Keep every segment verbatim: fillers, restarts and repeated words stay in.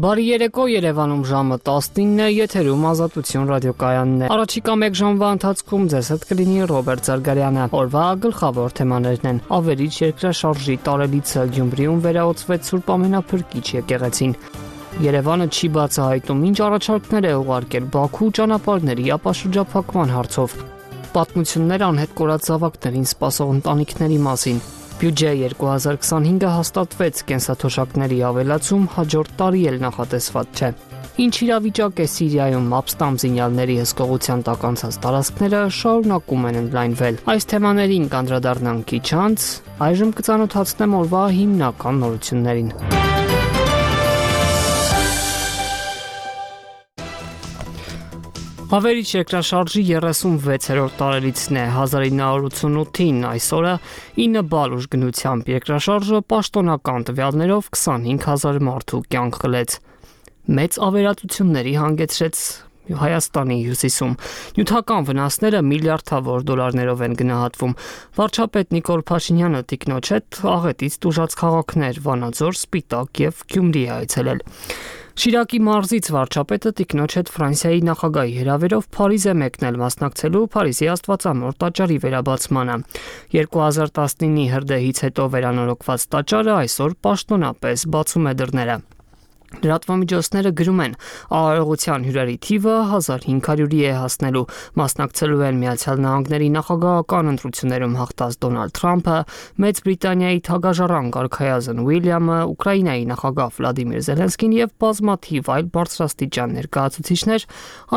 Բարի երեկո, Երևանում ժամը տասնինն է, եթերում Ազատություն ռադիոկայանն է։ Առաջիկա մեկ ժամվա ընթացքում ձեզ հետ կլինի Ռոբերտ Զարգարյանը։ Օրվա գլխավոր թեմաներն են. ավերիչ երկրաշարժի տարելիցը Գյումրիում վերահոսվեց Սուրբ Ամենափրկիչ եկեղեցին։ Երևանը չի բացահայտում ինչ առաջարկներ է ուղարկել Բաքու ճանապարհների ապաշրջափակման հարցով։ Պատմություններ անհետ կորած զավակներին սպասող ընտանիքների մասին։ Բյուջե երկու հազար քսանհինգը հաստատվեց, կենսաթոշակների ավելացում հաջորդ տարի էլ նախատեսված չէ։ Ինչ իրավիճակ է Սիրիայում, ապստամբ զինյալների հսկողության տակ անցած տարածքները շարունակում են ընդլայնվել։ Այս թեմաներին կանդրադառնանք քիչ անց, այժմ կծանոթացնեմ օրվա հիմնական նորություններին։ Ավերիչ երկրաշարժի երեսունվեցերորդ տարելիցն է, հազար ինը հարյուր ութսունութին այսօրը ինը բալ ուժգնությամբ երկրաշարժը պաշտոնական տվյալներով քսանհինգ հազար մարդու կյանք խլեց։ Մեծ ավերածությունների հանգեցրեց Հայաստանի հյուսիսում։ Նյութական վնասները միլիարդավոր դոլարներով են գնահատվում։ Վարչապետ Նիկոլ Փաշինյանը տիկնոջ հետ աղետից տուժած քաղաքներ Վանաձոր, Սպիտակ եւ Գյումրի է այցելել։ Շիրակի մարզից վարչապետը տիկնոջ հետ Ֆրանսիայի նախագահի հրավերով Փարիզ է մեկնել մասնակցելու Փարիզի Աստվածամոր տաճարի վերաբացմանը։ երկու հազար տասնինի հրդեհից հետո վերանորոգված տաճարը այսօր պաշտոնապես բացում է դռները։ Լրատվամիջոցները գրում են, արարողության հյուրերի թիվը հազար հինգ հարյուրի է հասնելու, մասնակցելու են Միացյալ Նահանգների նախագահական ընտրություններում հաղթած Դոնալդ Թրամփը, Մեծ Բրիտանիայի թագաժառանգ արքայազն Ուիլյամը, Ուկրաինայի նախագահ Վլադիմիր Զելենսկին եւ բազմաթիվ այլ բարձրաստիճան ներկայացուցիչներ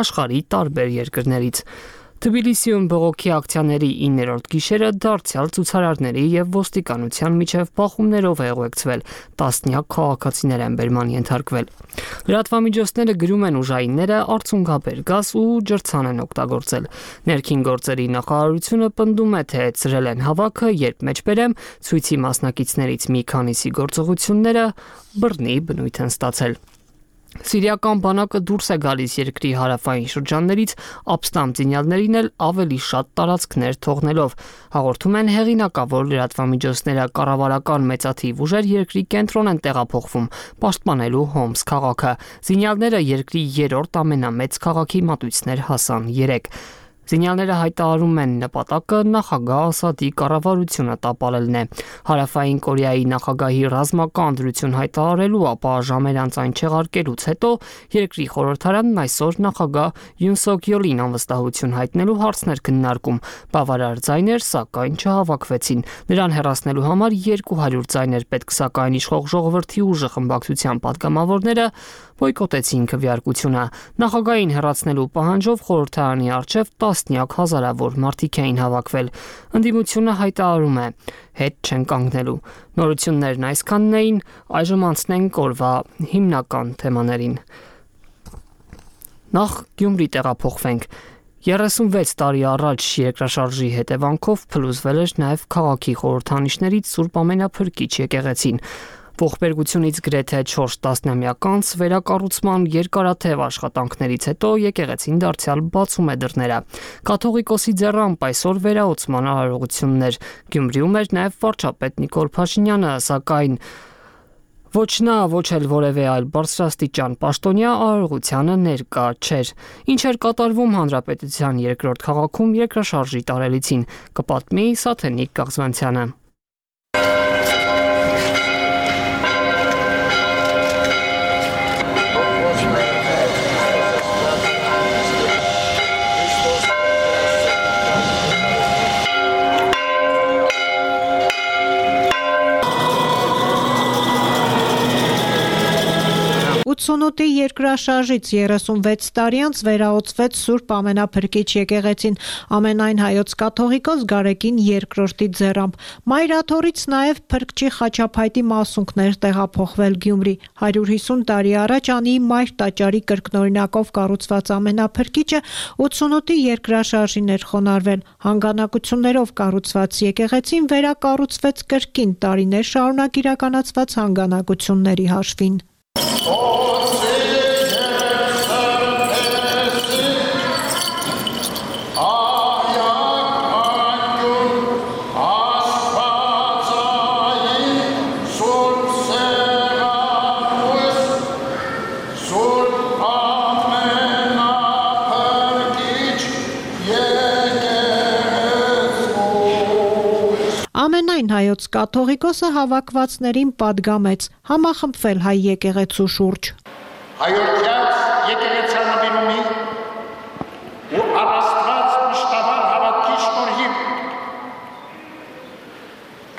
աշխարհի տարբեր երկրներից։ Թբիլիսիում բողոքի ակցիաների իններորդ գիշերը դարձյալ ցուցարարների եւ ոստիկանության միջև բախումներով է ուղեկցվել, տասնյակ քաղաքացիներ են բերման ենթարկվել։ Լրատվամիջոցները գրում են ուժայինները արցունքաբեր գազ ու ջրցան են օգտագործել։ Ներքին գործերի նախարարությունը պնդում է, թե ծրել են հավաքը, երբ մեջբերեմ ցույցի մասնակիցներից մի քանիսի գործողությունները բռնի բնույթ են ստացել։ Սիրիական բանակը դուրս է գալիս երկրի հարավային շրջաններից, ապստամբ զինյալներին էլ ավելի շատ տարածքներ թողնելով, հաղորդում են հեղինակավոր լրատվամիջոցները։ Կառավարական մեծաթիվ ուժեր երկրի կենտրոն են տեղափոխվում, պաշտպանելու Հոմս քաղաքը։ Զինյալները երկրի երրորդ ամենամեծ քաղաքի մատույցներ հասան երեք։ Զինյալները հայտարարում են նպատակը նախագահ Ասադի կառավարությունը տապալելն է։ Հարավային Կորեայի նախագահի ռազմական դրություն հայտարարելու, ապա ժամեր անց այն չեղարկելուց հետո երկրի խորհրդարանն այսօր նախագահ Յուն Սոկ Յոլին անվստահություն հայտնելու հարցներ քննարկում։ Բավարար ձայներ, սակայն չհավաքվեցին։ Նրան հեռացնելու համար երկու հարյուր ձայներ պետք, սակայն իշխող ժողովրդի ուժը խմբակցության պատգամավորները բոյկոտեցին քվեարկությունը։ Նախագահին հեռացնելու պահանջով խորհրդարանի առջև տասնյակ հազարավոր մարդիկ էին հավաքվել։ Ընդդիմությունը հայտարարում է, հետ չեն կանգնելու։ Նորություններն այսքանն էին, այժմ անցնենք օրվա հիմնական թեմաներին։ Նախ Գյումրի տեղափոխվենք։ երեսունվեց տարի առաջ երկրաշարժի հետևանքով փլուզվել էր նաև քաղաքի խորհրդանիշներից Սուրբ Ամենափրկիչ եկեղեցին։ Ողբերգությունից գրեթե չորս տասնամյակ անց վերակառուցման երկարաթև աշխատանքներից հետո եկեղեցին դարձյալ բացում է դռները։ Կաթողիկոսի ձեռամբ այսօր վերահոսման արարողություններ։ Գյումրիում էր նաև վարչապետ Նիկոլ Փաշինյանը, սակայն ոչ նա, ոչ էլ որևէ այլ բարձրաստիճան պաշտոնյա արարողությանը ներկա չէր։ Ինչ էր կատարվում հանրապետության երկրորդ քաղաքում երկրաշարժի տարելիցին, կպատմի Սաթենիկ Կաղզվանցյանը։ ութսունութի երկրաշարժից երեսունվեց տարի անց վերահոսվեց Սուրբ Ամենափրկիչ եկեղեցին ամենայն հայոց կաթողիկոս Գարեգին երկրորդի ձեռամբ։ Մայրաթորից նաև Փրկչի խաչափայտի մասունքներ տեղափոխվել Գյումրի։ հարյուր հիսուն տարի առաջ Անի Մայր տաճարի կրկնօրինակով կառուցված Ամենափրկիչը ութսունութի երկրաշարժին էր խոնարհվել։ Հանգանակություններով կառուցված եկեղեցին վերակառուցվեց կրկին տարիներ շարունակ իրականացված հանգանակությունների հաշվին։ Ամենայն հայոց կաթողիկոսը հավաքվածներին պատգամեց համախմբվել հայ եկեղեցու շուրջ։ Հայոց եկեղեցանվիրումի ու առաստված մշտաբար հավատքի շնորհիվ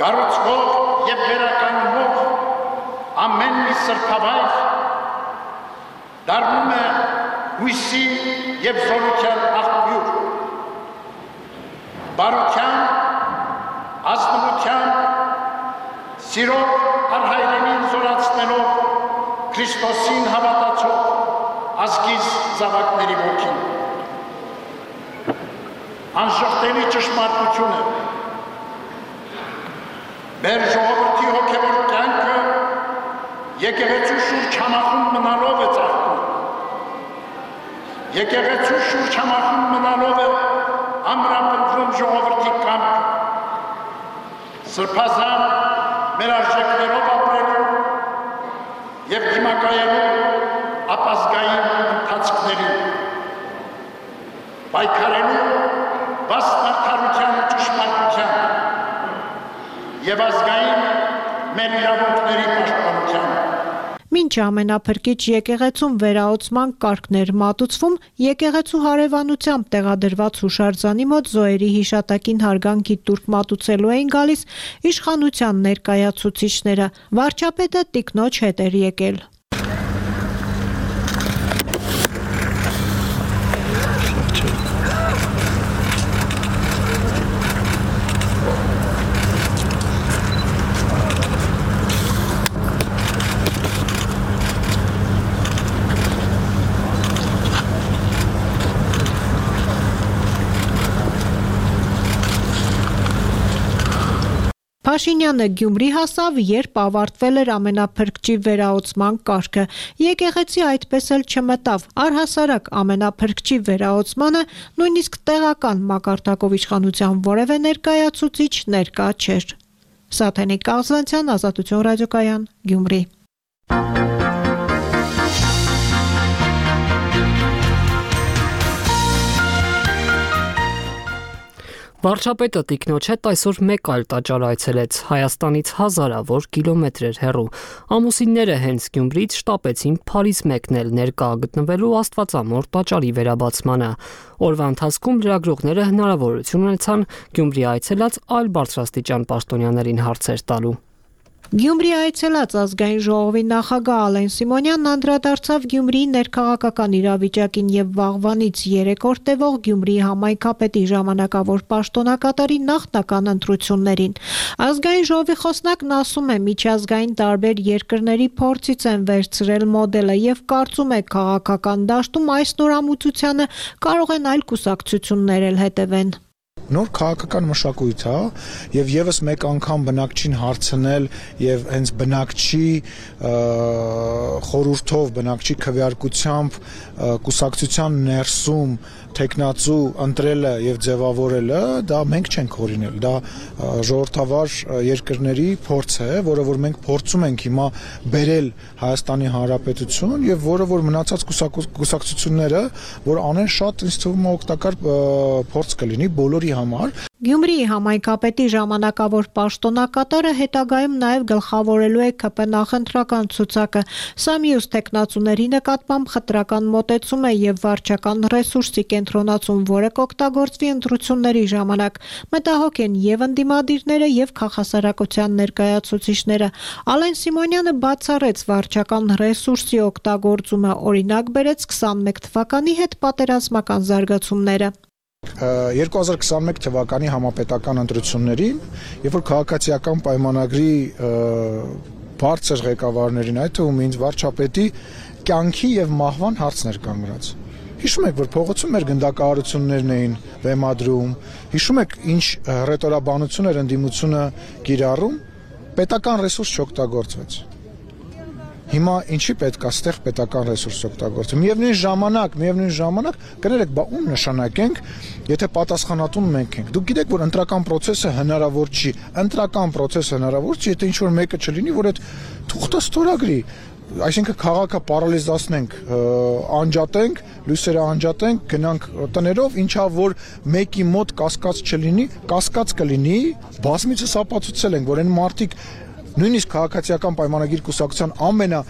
կառուցվող եւ վերականգնվող ամեն մի սրբավայր դառնում է հույսի եւ զորության աղբյուր, բարության, ազնվության, սիրով արհայրենին զորացնելով Քրիստոսին հավատացող ազգիս զավակների ոգին։ Անժխտելի ճշմարտություն է, մեր ժողովրդի հոգևոր կյանքը եկեղեցու շուրջ համախումբ մնալով է ծաղկում։ Եկեղեցու շուրջ համախումբ մնալով է ամրապնդվում ժողովրդի կամքը, սրբազան մեր արժեքներով ապրելու և դիմակայելու ապազգային ընթացքներին, պայքարելու վաստ արդարության ու ճշմարտության և ազգային մեր իրավունքների պաշտպանության։ Մինչ ամենափրկիչ եկեղեցում վերահոսման կարգներ մատուցվում, եկեղեցու հարևանությամբ տեղադրված հուշարձանի մոտ զոհերի հիշատակին հարգանքի տուրք մատուցելու էին գալիս իշխանության ներկայացուցիչները։ Վարչապետը տիկնոջ հետ էր եկել։ Փաշինյանը Գյումրի հասավ, երբ ավարտվել էր ամենափրկչի վերահոսման կարգը։ Եկեղեցի այդպես էլ չմտավ։ Առհասարակ ամենափրկչի վերահոսմանը նույնիսկ տեղական մակարդակով իշխանության որևէ ներկայացուցիչ ներկա չէր։ Սաթենիկ Կաղզանցյան, Ազատություն ռադիոկայան, Գյումրի։ Վարչապետը տիկնոջ հետ այսօր մեկ այլ տաճար այցելեց, Հայաստանից հազարավոր կիլոմետրեր հեռու։ Ամուսինները հենց Գյումրիից շտապեցին Փարիզ մեկնել ներկա գտնվելու Աստվածամոր տաճարի վերաբացմանը։ Օրվա ընթացքում լրագրողները հնարավորություն ունեցան Գյումրի այցելած այլ բարձրաստիճան պաշտոնյաներին հարցեր տալու։ Գյումրի այցելած ազգային ժողովի նախագահ Ալեն Սիմոնյանն անդրադարձավ Գյումրիի ներքաղաքական իրավիճակին եւ վաղվանից երեք օր տևող Գյումրիի համայնքապետի ժամանակավոր պաշտոնակատարի նախնական ընտրություններին։ Ազգային ժողովի խոսնակն ասում է, միջազգային տարբեր երկրների փորձից են վերցրել մոդելը եւ կարծում է քաղաքական դաշտում այս նորամուծությանը կարող են այլ կուսակցություններ էլ հետևեն։ Նոր քաղաքական մշակույթ է եւ եւս մեկ անգամ բնակչին հարցնել եւ հենց բնակչի խորհրդով, բնակչի քվեարկությամբ կուսակցության ներսում տեխնացու ընտրելը եւ ձևավորելը դա մենք չենք օրինել, դա ժողովրդավար երկրների փորձ է, որը որ մենք փորձում ենք հիմա բերել Հայաստանի Հանրապետություն եւ որը որ մնացած կուսակցությունները որ անեն շատ ինձ թվում է օգտակար փորձ կլինի բոլորի համար։ Գյումրիի համայնքապետի ժամանակավոր պաշտոնակատարը հետագայում նաև գլխավորելու է ՔՊ նախընտրական ցուցակը։ Սա մյուս տեխնացուների նկատմամբ խտրական մոտեցում է եւ վարչական ռեսուրսի կենտրոնացում, որը կօգտագործվի ընտրությունների ժամանակ։ Մտահոգ են եւ ընդդիմադիրները եւ քաղաքասարակության ներկայացուցիչները։ Ալեն Սիմոնյանը բացառեց վարչական ռեսուրսի օգտագործումը, օրինակ բերեց քսանմեկ թվականի հետ պատերազմական զարգացումները։ երկու հազար քսանմեկ թվականի համապետական ընտրություններին, երբ որ քաղաքացիական պայմանագրի բարձր ղեկավարներին, այդ թվում ինձ վարչապետի կյանքի եւ մահվան հարցներ կանգնած։ Հիշում եք, որ փողոցում մեր գնդակահարություններն էին բեմադրում, հիշում եք ինչ ռետորաբանություն էր ընդդիմությունը կիրառում, պետական ռեսուրս չօգտագործվեց։ Հիմա ինչի պետք է ստեղ պետական ռեսուրս օգտագործել։ Միևնույն ժամանակ, միևնույն ժամանակ կներեք, բա ում նշանակենք, եթե պատասխանատուն մենք ենք։ Դուք գիտեք, որ ընտրական process-ը հնարավոր չի։ Ընտրական process-ը հնարավոր չի, եթե ինչ որ մեկը չլինի, որ այդ թուղթը ստորագրի։ այսինքն քաղաքը պարալիզացնենք, անջատենք, լույսերը անջատենք, գնանք տներով, ինչա որ մեկի մոտ կասկած չլինի, կասկած կլինի, բազմիցս ապացուցել ենք, որ այն մարդիկ նույնիսկ քաղաքացիական պայմանագիր կուսակցության ամենա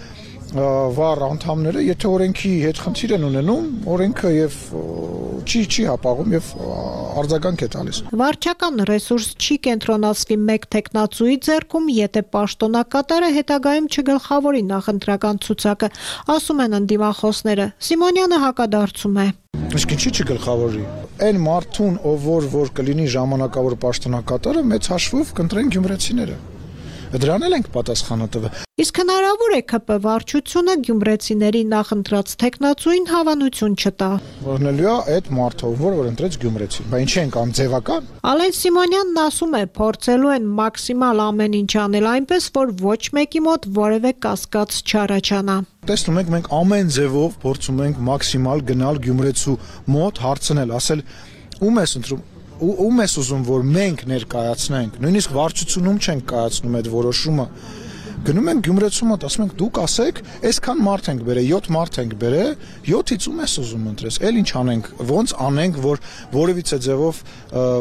վառ անդամները, եթե օրենքի հետ խնդիր են ունենում, օրենքը եւ չի չի հապաղում եւ արձագանք է տալիս։ Վարչական ռեսուրս չի կենտրոնացվի մեկ տեխնացուի ձեռքում, եթե պաշտոնակատարը հետագայում չգլխավորի նախընտրական ցուցակը, ասում են ընդդիմախոսները։ Սիմոնյանը հակադարձում է։ Իսկ ինչի՞ չգլխավորի։ Այն մարդուն, ով որ որ կլինի ժամանակավոր պաշտոնակատարը, մեծ հաշվով կընտրեն գյումրեցիները։ Դրան էլ ենք պատասխանը տվել։ Իսկ հնարավոր է ԿՊ վարչությունը գյումրեցիների նախընտրած տեխնացուին հավանություն չտա։ Որնելիա այդ մարդով, որ որ ընտրեց գյումրեցին։ Բա ինչի ենք անում ձևական։ Ալեն Սիմոնյանն ասում է, փորձելու են մաքսիմալ ամեն ինչ անել այնպես, որ ոչ մեկի մոտ որևէ կասկած չառաջանա։ Տեսնում եք, մենք ամեն ձևով փորձում ենք մաքսիմալ գնալ գյումրեցու մոտ, հարցնել, ասել ում ես ընտրում ում ես ուզում որ մենք ներկայացնենք, նույնիսկ վարչությունում չենք կայացնում այդ որոշումը, գնում ենք գյումրեցու մոտ, ասում ենք դուք ասեք, այսքան մարդ ենք բերել, յոթ մարդ ենք բերել, յոթից ում ես ուզում ընտրես, էլ ինչ անենք, ոնց անենք, որ որևիցե ձևով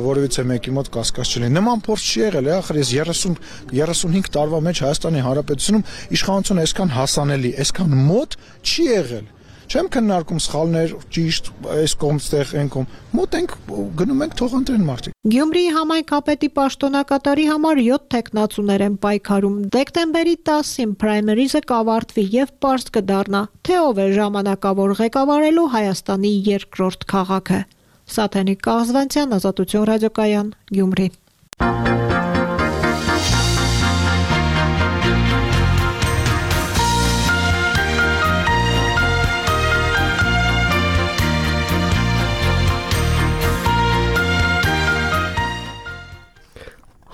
որևիցե մեկի մոտ կասկած չլինի։ Նման փորձ չի եղել, ախր ես երեսուն երեսունհինգ տարվա մեջ Հայաստանի Հանրապետությունում իշխանությունը այսքան հասանելի, այսքան մոտ չի եղել։ Չեմ քննարկում սխալներ, ճիշտ, այս կողմստեղ են կողմ։ Մոտ ենք գնում ենք թող ընտրեն մարդիկ։ Գյումրիի համայնքապետի պաշտոնակատարի համար յոթ տեխնացուներ են պայքարում։ Դեկտեմբերի տասին պրայմերիզը կավարտվի եւ պարզ կդառնա, թե ով է ժամանակավոր ղեկավարելու Հայաստանի երկրորդ քաղաքը։ Սաթենիկ Կազվանցյան, Ազատություն ռադիոկայան, Գյումրի։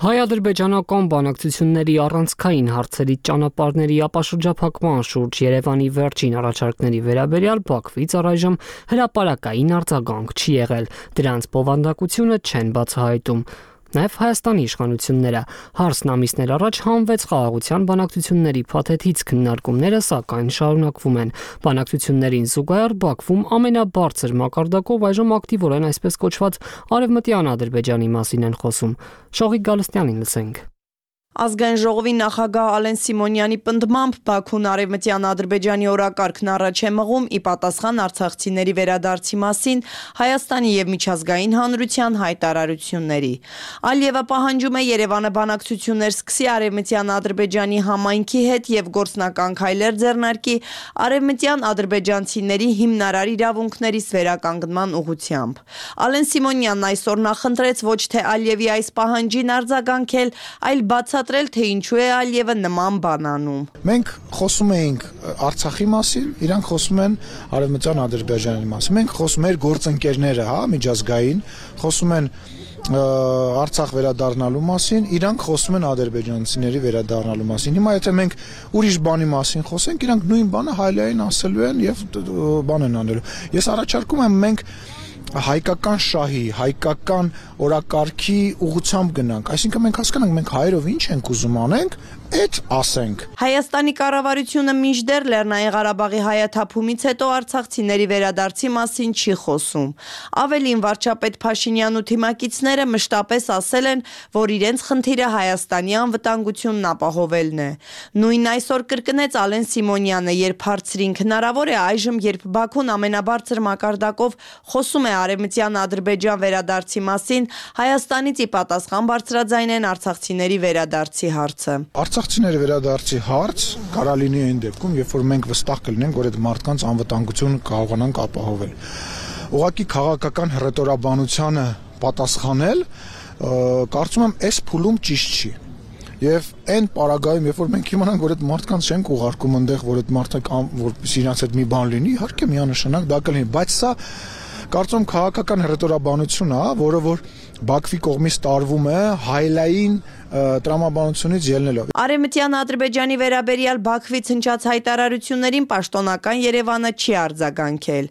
Հայ-ադրբեջանական բանակցությունների առանցքային հարցերի ճանապարհների ապաշրջափակման շուրջ Երևանի վերջին առաջարկների վերաբերյալ Բաքվից առայժմ հրապարակային արձագանք չի եղել, դրանց բովանդակությունը չեն բացահայտում։ Նաև Հայաստանի իշխանությունները հարցն ամիսներ առաջ հանվեց խաղաղության բանակցությունների փաթեթից քննարկումները, սակայն շարունակվում են։ Բանակցություններին զուգահեռ Բաքվում ամենաբարձր մակարդակով այժմ ակտիվորեն այսպես կոչված արևմտյան Ադրբեջանի մասին են խոսում։ Շողիկ Գալստյանին լսենք։ Ազգային ժողովի նախագահ Ալեն Սիմոնյանի պնդմամբ Բաքուն արևմտյան Ադրբեջանի օրակարգն առաջ է մղում ի պատասխան արցախցիների վերադարձի մասին Հայաստանի եւ միջազգային հանրության հայտարարությունների։ Ալիևը պահանջում է Երևանը բանակցություններ սկսի արևմտյան Ադրբեջանի համայնքի հետ եւ գործնական քայլեր ձեռնարկի արևմտյան ադրբեջանցիների հիմնարար իրավունքներից վերականգնման ուղղությամբ։ Ալեն Սիմոնյանն այսօր նախընտրեց ոչ թե Ալիևի այս պահանջին արձագանքել, այլ բաց թե ինչու է Ալիևը նման բան անում։ Մենք խոսում էինք Արցախի մասին, իրանք խոսում են արևմտյան Ադրբեջանի մասին։ Մենք խոսում ենք գործընկերները, հա, միջազգային, խոսում են Արցախ վերադառնալու մասին, իրանք խոսում են ադրբեջանցիների վերադառնալու մասին։ Հիմա եթե մենք ուրիշ բանի մասին խոսենք, իրանք նույն բանը հայլային ասելու են եւ բան են անելու։ Ես առաջարկում եմ մենք հայկական շահի, հայկական օրակարգի ուղղությամբ գնանք, այսինքն մենք հասկանանք մենք հայերով ինչ ենք ուզում անենք, այդ ասենք։ Հայաստանի կառավարությունը մինչդեռ Լեռնային Ղարաբաղի հայաթափումից հետո արցախցիների վերադարձի մասին չի խոսում։ Ավելին վարչապետ Փաշինյանն ու թիմակիցները մշտապես ասել են, որ իրենց խնդիրը Հայաստանի անվտանգությունն ապահովելն է։ Նույնն այսօր կրկնեց Ալեն Սիմոնյանը, երբ հարցրին հնարավոր է այժմ, երբ Բաքուն ամենաբարձր մակարդակով խոսում է արևմտյան Ադրբեջան վերադարձի մասին, Հայաստանից ի պատասխան բարձրաձայնեն արցախցիների վերադարձի հարցը։ Արցախցիների վերադարձի հարց կարա լինի այն դեպքում, երբ որ մենք վստահ կլինենք, որ այդ մարդկանց անվտանգությունը կարողանանք ապահովել։ Ուղղակի քաղաքական հռետորաբանությանը պատասխանել, կարծում եմ, այս փուլում ճիշտ չի։ Եվ այն պարագայում, երբ որ մենք իմանանք, որ այդ մարդկանց չենք ուղարկում այնտեղ, որ այդ մարդիկ որպեսզի իրancs հետ մի բան լինի, իհարկե միանշանակ դա կլինի, բայց սա կարծում քաղաքական հռետորաբանություն է, որը որ Բաքվի կողմից տարվում է հայլային տրամաբանությունից ելնելով։ Արևմտյան Ադրբեջանի վերաբերյալ Բաքվից հնչած հայտարարություններին պաշտոնական Երևանը չի արձագանքել։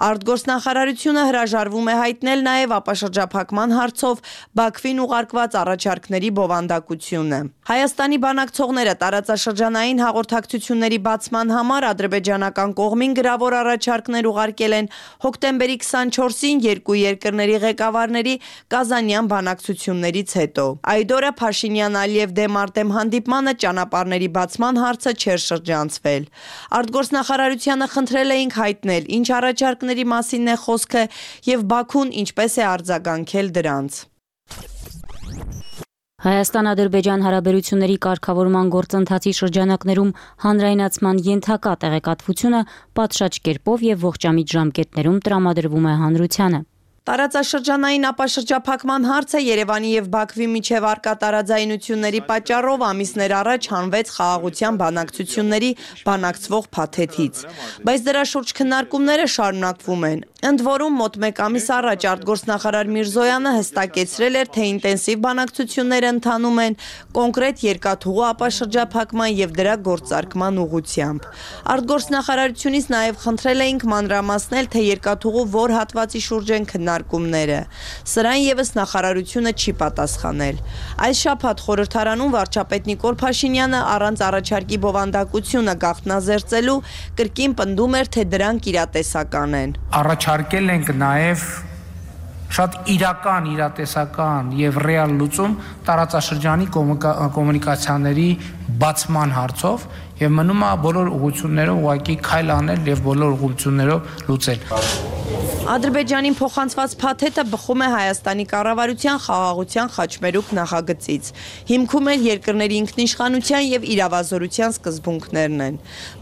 Արտգործնախարարությունը հրաժարվում է հայտնել նաև ապաշրջափակման հարցով Բաքվին ուղարկված առաջարկների բովանդակությունը։ Հայաստանի բանակցողները տարածաշրջանային հաղորդակցությունների բացման համար ադրբեջանական կողմին գրավոր առաջարկներ ուղարկել են հոկտեմբերի քսանչորսին երկու երկրների ղեկավարների կազանյան բանակցություններից հետո։ Այդ օրը Փաշինյան-Ալիև դեմ արտեմ հանդիպմանը ճանապարհների բացման հարցը չէր շրջանցվել։ Արտգործնախարարությանը խնդրել էինք հայտնել, ինչ առաջարկների մասին է խոսքը եւ Բաքուն ինչպես է արձագանքել դրանց։ Հայաստան-Ադրբեջան հարաբերությունների կարգավորման գործընթացի շրջանակներում հանրայնացման ենթակա տեղեկատվությունը պատշաճ կերպով եւ ողջամիտ ժամկետներում տրամադրվում է հանրությանը։ Տարածաշրջանային ապաշրջափակման հարցը Երևանի եւ Բաքվի միջև առկա տարաձայնությունների պատճառով ամիսներ առաջ հանվեց խաղաղության բանակցությունների բանակցվող փաթեթից, բայց դրա շուրջ քննարկումները շարունակվում են։ Ընդ որում մոտ մեկ ամիս առաջ արտգործնախարար Միրզոյանը հստակեցրել էր, թե ինտենսիվ բանակցությունները ընթանում են կոնկրետ երկաթուղու ապաշրջափակման եւ դրա գործարկման ուղղությամբ։ Արտգործնախարարությունից նաեւ խնդրել էինք մանրամասնել, թե երկաթուղու որ հատվածի շուրջ են քննարկումները։ Սրան եւս նախարարությունը չի պատասխանել։ Այս շաբաթ խորհրդարանում վարչապետ Նիկոլ Փաշինյանը առանց առաջարկի բովանդակությունը գաղտնազերծելու կրկին պնդում էր, թե դրանք իրատեսական են։ Առաջարկել ենք նաև շատ իրական, իրատեսական եւ ռեալ լուծում տարածաշրջանի կոմունիկացիաների բացման հարցով եւ մնում է բոլոր ուղղություններով ուղղակի քայլ անել եւ բոլոր ուղղություններով լուծել։ Ադրբեջանին փոխանցված փաթեթը բխում է Հայաստանի կառավարության խաղաղության խաչմերուկ նախագծից։ Հիմքում էլ երկրների ինքնիշխանության եւ իրավազորության սկզբունքներն են։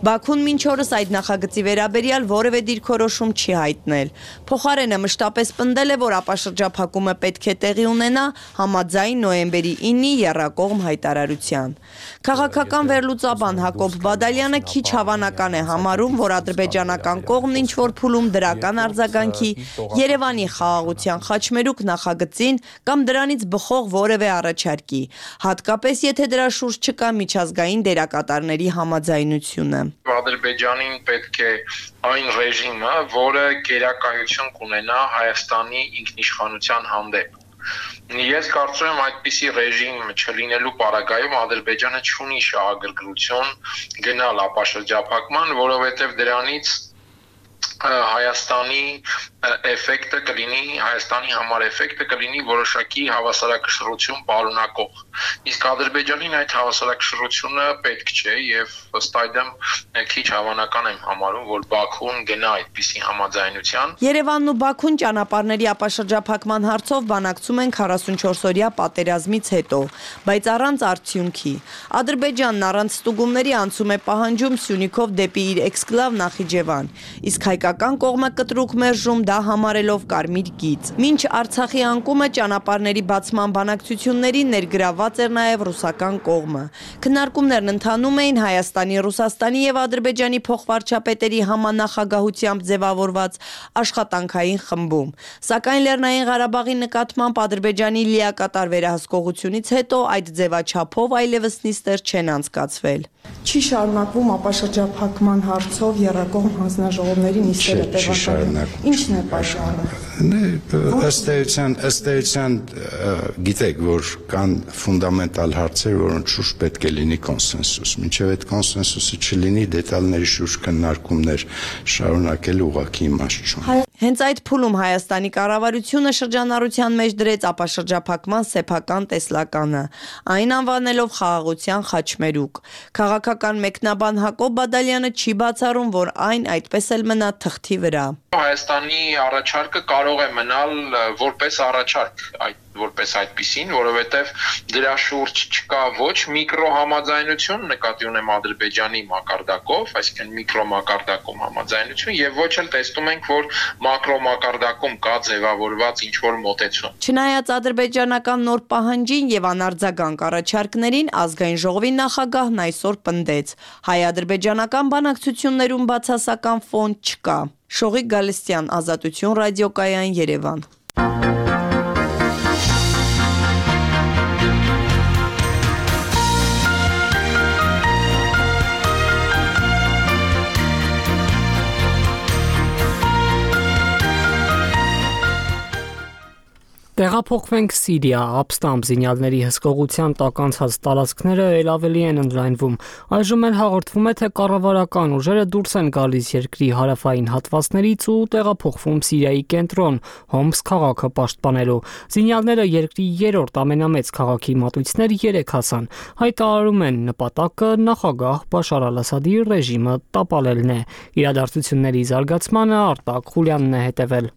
Բաքուն մինչ օրս այդ նախագծի վերաբերյալ որևէ դիրքորոշում չի հայտնել։ Փոխարենը մշտապես պնդել է, որ ապաշրջափակումը պետք է տեղի ունենա համաձայն նոյեմբերի ինի եռակողմ հայտարարության։ Քաղաքական վերլուծաբան Հակոբ Բադալյանը քիչ հավանական է համարում, որ ադրբեջանական կողմն ինչ որ փուլում դրական արձագանքի Երևանի խաղաղության խաչմերուկ նախագծին կամ դրանից բխող որևէ առաջարկի, հատկապես եթե դրա շուրջ չկա միջազգային դերակատարների համաձայնությունը։ Ադրբեջանին պետք է այն ռեժիմը, որը գերակայություն կունենա Հայաստանի ինքնիշխանության հանդեպ։ Ես կարծում եմ այդպիսի ռեժիմ չլինելու պարագայում Ադրբեջանը չունի շահագրգռություն գնալ ապաշրջափակման, որովհետև դրանից Հայաստանի էֆեկտը կլինի, Հայաստանի համար էֆեկտը կլինի որոշակի հավասարակշռություն պարունակող։ Իսկ Ադրբեջանին այդ հավասարակշռությունը պետք չէ եւ ըստ այդմ քիչ հավանական եմ համարում, որ Բաքուն գնա այդպիսի համաձայնության։ Երևանն ու Բաքուն ճանապարհների ապաշրջափակման հարցով բանակցում են քառասունչորս օրյա պատերազմից հետո, բայց առանց արդյունքի։ Ադրբեջանն առանց ստուգումների անցում է պահանջում Սյունիքով դեպի իր էքսկլավ Նախիջևան, իսկ հայկական կողմը կտրուկ մերժում դա համարելով կարմիր գիծ։ Մինչ Արցախի անկումը ճանապարհների բացման բանակցություններին ներգրավված էր նաև ռուսական կողմը։ Քննարկումներն ընթանում էին Հայաստանի, Ռուսաստանի եւ Ադրբեջանի փոխվարչապետերի համանախագահությամբ ձևավորված աշխատանքային խմբում։ Սակայն Լեռնային Ղարաբաղի նկատմամբ Ադրբեջանի լիակատար վերահսկողությունից հետո այդ ձևաչափով այլևս նիստեր չեն անցկացվել։ Չի շարունակվում ապաշրջափակման հարցով եռակողմ հանձնաժողովների նիստերը տեղակայում։ Ինչն է պատճառը։ Ըստ էության, ըստ էության գիտեք, որ կան ֆունդամենտալ հարցեր, որոնց շուրջ պետք է լինի կոնսենսուս։ Մինչև այդ կոնսենսուսը չլինի, դետալների շուրջ քննարկումներ շարունակելու ուղղակի իմաստ չունի։ Հենց այդ փուլում Հայաստանի կառավարությունը շրջանառության մեջ դրեց ապաշրջափակման սեփական տեսլականը, այն անվանելով խաղաղության խաչմերուկ։ Քաղաքական մեկնաբան Հակոբ Բադալյանը չի բացառում, որ այն այդպես էլ մնա թղթի վրա։ Հայաստանի առաջարկը կարող է մնալ որպես առաջարկ, այդ որպես այդպիսին, որովհետև դրա շուրջ չկա ոչ միկրո համաձայնություն, նկատի ունեմ Ադրբեջանի մակարդակով, այսինքն միկրո մակարդակում համաձայնություն, եւ ոչ էլ տեսնում ենք, որ մակրո մակարդակում կա ձևավորված ինչ-որ մոտեցում։ Չնայած ադրբեջանական նոր պահանջին եւ անարձագանք առաջարկներին, ազգային ժողովի նախագահն այսօր պնդեց. հայ-ադրբեջանական բանակցություններում բացասական ֆոն չկա։ Շողիկ Գալստյան, Ազատություն ռադիոկայան, Երևան։ Տեղափոխվենք Սիրիա, ապստամբ զինյալների հսկողության տակ անցած տարածքները էլ ավելի են ընդլայնվում։ Այժմ էլ հաղորդվում է, թե կառավարական ուժերը դուրս են գալիս երկրի հարավային հատվածներից ու տեղափոխվում Սիրիայի կենտրոն՝ Հոմս քաղաքը պաշտպանելու։ Զինյալները երկրի երրորդ ամենամեծ քաղաքի մատույցներ երեք հասան։ Հայտարարում են նպատակը նախագահ Բաշար Ալ-Ասադի ռեժիմը տապալելն է։ Իրադարձությունների զարգացմանը Արտակ Խուլյանն է հետևել։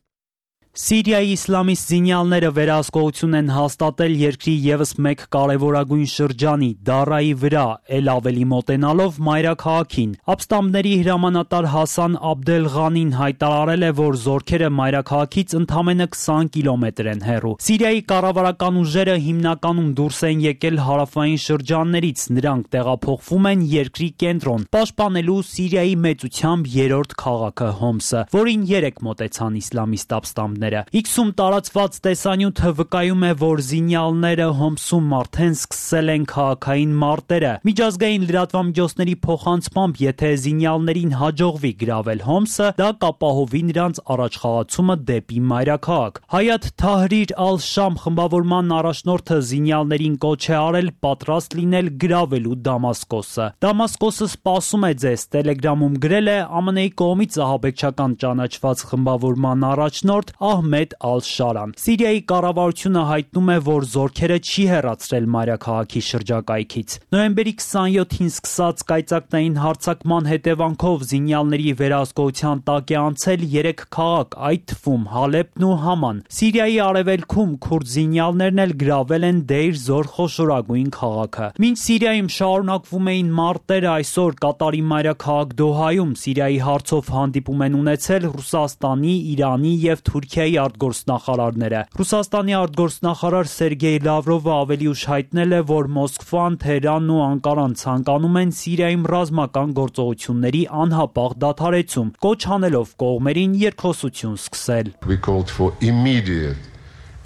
Սիրիայի իսլամիստ զինյալները վերահսկողություն են հաստատել երկրի ևս մեկ կարևորագույն շրջանի՝ Դարայի վրա, էլ ավելի մոտենալով մայրաքաղաքին։ Ապստամբների հրամանատար Հասան Աբդել Ղանին հայտարարել է, որ զորքերը մայրաքաղաքից ընդամենը քսան կիլոմետր են հեռու։ Սիրիայի կառավարական ուժերը հիմնականում դուրս են եկել հարավային շրջաններից, նրանք տեղափոխվում են երկրի կենտրոն՝ պաշտպանելու Սիրիայի մեծությամբ երրորդ քաղաքը Հոմսը, որին երեք մոտեցան իսլամիստ ապստամբներ։ Իքսում տարածված տեսանյութը վկայում է, որ զինյալները Հոմսում արդեն սկսել են քաղաքային մարտերը։ Միջազգային լրատվամիջոցների փոխանցմամբ, եթե զինյալներին հաջողվի գրավել Հոմսը, դա կապահովի նրանց առաջխաղացումը դեպի մայրաքաղաք։ Հայաթ Թահրիր Ալ-Շամ խմբավորման առաջնորդը զինյալներին կոչ է արել պատրաստ լինել գրավելու Դամասկոսը։ Դամասկոսը սպասում է ձեզ, Telegram-ում գրել է ԱՄՆ -ի կողմից ահաբեկչական ճանաչված խմբավորման առաջնորդ Ահմեդ Ալ-Շարան։ Սիրիայի կառավարությունը հայտնում է, որ զորքերը չի հեռացրել մայրաքաղաքի շրջակայքից։ Նոյեմբերի քսանյոթին սկսած կայծակնային հարձակման հետևանքով զինյալների վերահսկողության տակ է անցել երեք քաղաք, այդ թվում Հալեբն ու Haman։ Սիրիայի արևելքում քուրդ զինյալներն էլ գրավել են Դեյր Զոր խոշորագույն քաղաքը։ Մինչ Սիրիայում շարունակվում էին մարտերը, այսօր Կատարի մայրաքաղաք Դոհայում Սիրիայի հարցով հանդիպում են ունեցել Ռուսաստանի, Իրանի և Թուրքիայի արտգործնախարարները։ Ռուսաստանի արտգործնախարար Սերգեյ Լավրովը ավելի ուշ հայտնել է, որ Մոսկվան, Թեհրանն ու Անկարան ցանկանում են Սիրիայում ռազմական գործողությունների անհապաղ դադարեցում, կոչ անելով կողմերին երկխոսություն սկսել։ We called for immediate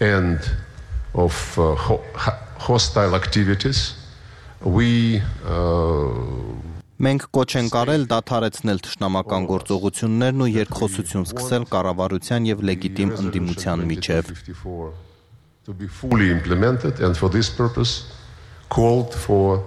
end of uh, hostile activities. We uh, Մենք կոչ ենք արել դադարեցնել թշնամական գործողություններն ու երկխոսություն սկսել կառավարության եւ լեգիտիմ ընդդիմության միջև։ To be fully implemented and for this purpose called for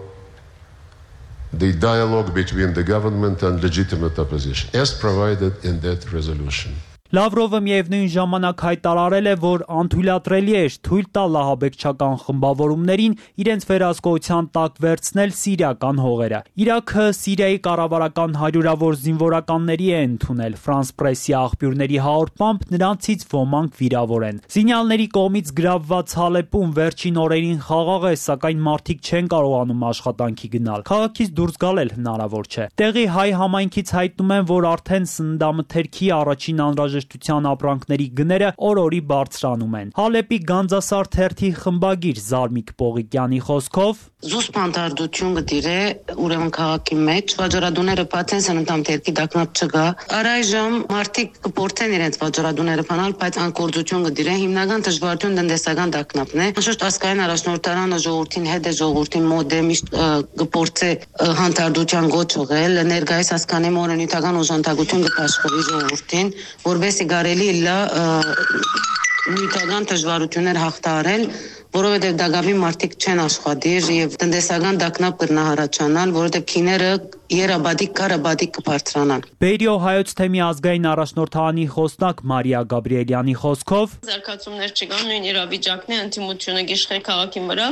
the dialogue between the government and legitimate opposition as provided in that resolution. Լավրովը միևնույն ժամանակ հայտարարել է, որ անթույլատրելի էր թույլ տալ ահաբեկչական խմբավորումներին իրենց վերահսկողության տակ վերցնել սիրիական հողերը։ Իրաքը Սիրիայի կառավարական հարյուրավոր զինվորականների է ընդունել։ Ֆրանս պրեսի աղբյուրների հաղորդմամբ նրանցից ոմանք վիրավոր են։ Զինյալների կողմից գրավված Հալեպում վերջին օրերին խաղաղ է, սակայն մարդիկ չեն կարողանում աշխատանքի գնալ։ Քաղաքից դուրս գալ էլ հնարավոր չէ։ Տեղի հայ համայնքից հայտնում են, որ արդեն սննդամթերքի առաջին անհրաժեշտ ապրանքների գները օր-օրի բարձրանում են։ Հալեպի Գանձասար թերթի խմբագիր Զարմիկ Պողիկյանի խոսքով զուսպանդարտություն գտիրե ուրեմն քաղաքի մեջ վաճառադուները բացեն սննդամթերքի դակնապ չկա։ Առայժմ մարդիկ կփորձեն իրենց վաճառադուները փանալ, բայց անկորձություն գտիրե հիմնական դժվարություն տնտեսական դակնապն է։ Անշուշտ ասկային առաջնորդարանը ժողովրդին հետ է ժողովրդին մոտ է միշտ կփորձե հանդարտության գոչ ուղղել, ներկայիս ասկանի մորը նյութական օժանդակություն կփաշխվի ժողովրդին, որովհետեւ գարելի լա նյութական դժվարություններ հաղթահարել, որովհետև դակապի մարդիկ չեն աշխատիր եւ տնտեսական դակնապ կրնահարաճանալ, որովհետև քիները երաբադիկ կարաբադիկ կբարձրանան։ Բերիո հայոց թեմի ազգային առաջնորդանի խոսնակ Մարիա Գաբրիելյանի խոսքով զարգացումներ չկան, նույն իրավիճակն է, ընդդիմությունը գիշխե քաղաքի վրա։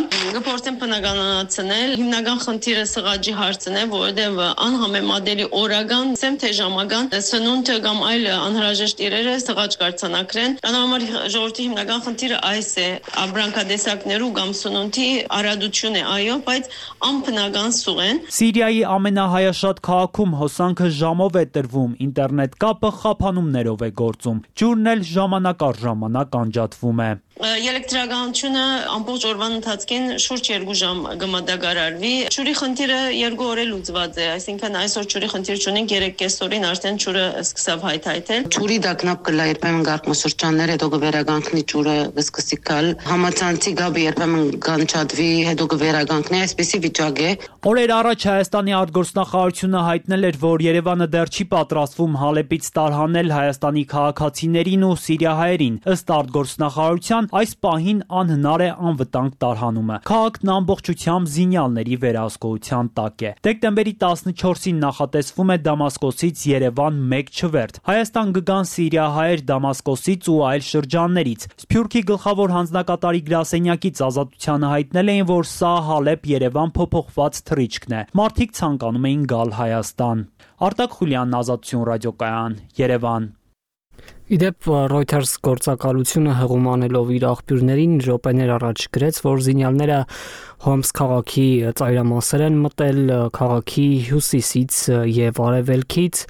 Գործեն բնականացնել, հիմնական խնդիրը սղաճի հարցն է, որովհետև անհամեմատելի օրական, ասեմ թե ժամական սնունդը կամ այլ անհրաժեշտ իրերը սղաճ կարձանակրեն։ Դրա համար ժողովրդի հիմնական խնդիրը այս է, աբրանքադեսակներու կամ սնունդի արադություն է, այո, բայց անբնական սուղ են։ Սիրիայի ամենահայաշատ քաղաքում հոսանքը ժամով է տրվում, ինտերնետ կապը խափանումներով է գործում, ջուրն էլ ժամանակ առ ժամանակ անջատվում է։ Էլեկտրականությունը ամբողջ օրվան ընթացքին շուրջ երկու ժամ կմատակարարվի։ Ջուրի խնդիրը երկու օր է լուծված է, այսինքն այսօր ջուրի խնդիր չունենք, երեք կեսօրին արդեն ջուրը սկսավ հայթայթել։ Ջուրի դակնապ կլա երբեմն գարկմասրճաններ, հետո կվերագանքնի ջուրը կսկսի գալ։ Համացանցի գաբը երբեմն կանչատվի, հետո կվերագանքնի, այսպեսի վիճակ է։ Օրեր առաջ Հայաստանի արտգործնախարարությունը հայտնել էր, որ Երևանը դեռ չի պատրաստվում Հալեպից տարհանել Հայաստանի քաղաքացիներին ու սիրիահայերին։ Ըստ արտգործնախարարության այս պահին անհնար է անվտանգ տարհանումը։ Քաղաքն ամբողջությամբ զինյալների վերահսկողության տակ է։ Դեկտեմբերի տասնչորսին նախատեսվում է Դամասկոսից Երևան մեկ չվերթ։ Հայաստան կգան սիրիահայեր Դամասկոսից ու այլ շրջաններից։ Սփյուռքի գլխավոր հանձնակատարի գրասենյակից Ազատությանը հայտնել էին, որ սա Հալեբ-Երևան փոփոխված թռիչքն է։ Մարդիկ ցանկանում էին գալ Հայաստան։ Արտակ Խուլյանն, Ազատություն ռադիոկայան, Երևան։ Իդեպ Reuters գործակալությունը հղում անելով իր աղբյուրներին րոպեներ առաջ գրեց, որ զինյալները Հոմս քաղաքի ծայրամասեր են մտել քաղաքի հյուսիսից եւ արևելքից,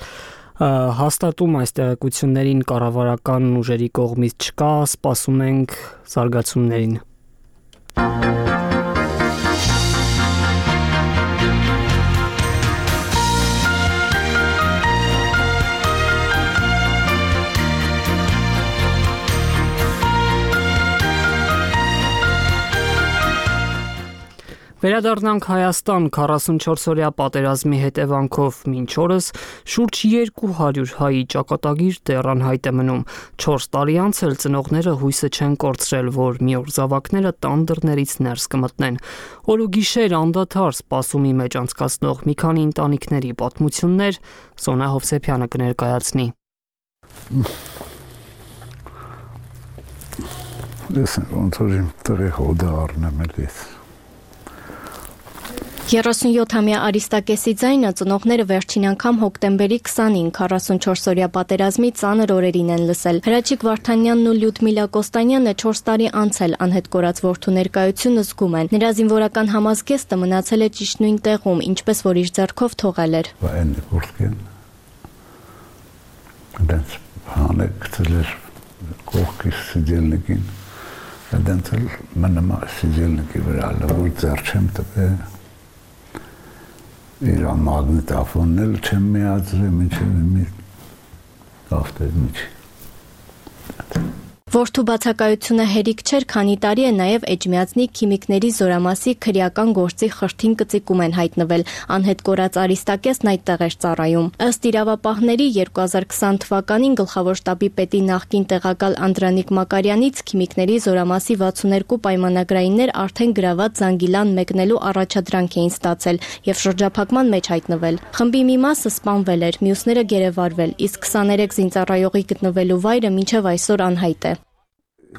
հաստատում այս տեղեկություններին կառավարական ուժերի կողմից չկա, սպասում ենք զարգացումներին։ Վերադառնանք Հայաստան, քառասունչորս-օրյա պատերազմի հետևանքով մինչ օրս շուրջ երկու հարյուր հայի ճակատագիր դեռ անհայտ է մնում։ չորս տարի անց էլ ծնողները հույսը չեն կորցրել, որ մի օր զավակները տան դռներից ներս կմտնեն։ Օր ու գիշեր անդադար սպասումի մեջ անցկացնող մի քանի ընտանիքների պատմություններ Սոնա Հովսեփյանը կներկայացնի։ Լսեն, ոնց որ իմ տղի հոդը առնեմ էլիս։ երեսունյոթամյա Արիստակեսի ձայնը ծնողները վերջին անգամ հոկտեմբերի քսանին քառասունչորս-օրյա պատերազմի ծանր օրերին են լսել։ Հրաչիկ Վարդանյանն ու Լյուդմիլա Կոստանյանը չորս տարի անց էլ անհետ կորած որդու ներկայությունը զգում են։ Նրա զինվորական համազգեստը մնացել է ճիշտ նույն տեղում, ինչպես որ իր ձեռքով թողել էր։ Այն կորքեն։ Դենց հանը գցել էր կողքի սիջելնիկին։ Դենց էլ մնում է սիջելնիկի վրա, որ ձեռ չեմ տվել։ Իրան մագնիտոֆոնն էլ չեմ միացրել, մինչև մի ավտոյ միջի։ Որդու բացակայությունը հերիք չէր, քանի տարի է նաև Էջմիածնի քիմիկների զորամասի քրեական գործի խրթին կծիկում են հայտնվել։ Անհետ կորած Արիստակեսն այդտեղ էր ծառայում։ Ըստ իրավապահների երկու հազար քսան թվականին գլխավոր շտաբի պետի նախկին տեղակալ Անդրանիկ Մակարյանից քիմիկների զորամասի վաթսուներկու պայմանագրայիններ արդեն գրաված Զանգիլան մեկնելու առաջադրանք էին ստացել եւ շրջափակման մեջ հայտնվել։ Խմբի մի մասը սպանվել էր, մյուսները գերեվարվել, իսկ քսաներեք զինծառայողի գտնվելու վայրը մինչև այսօր անհայտ է։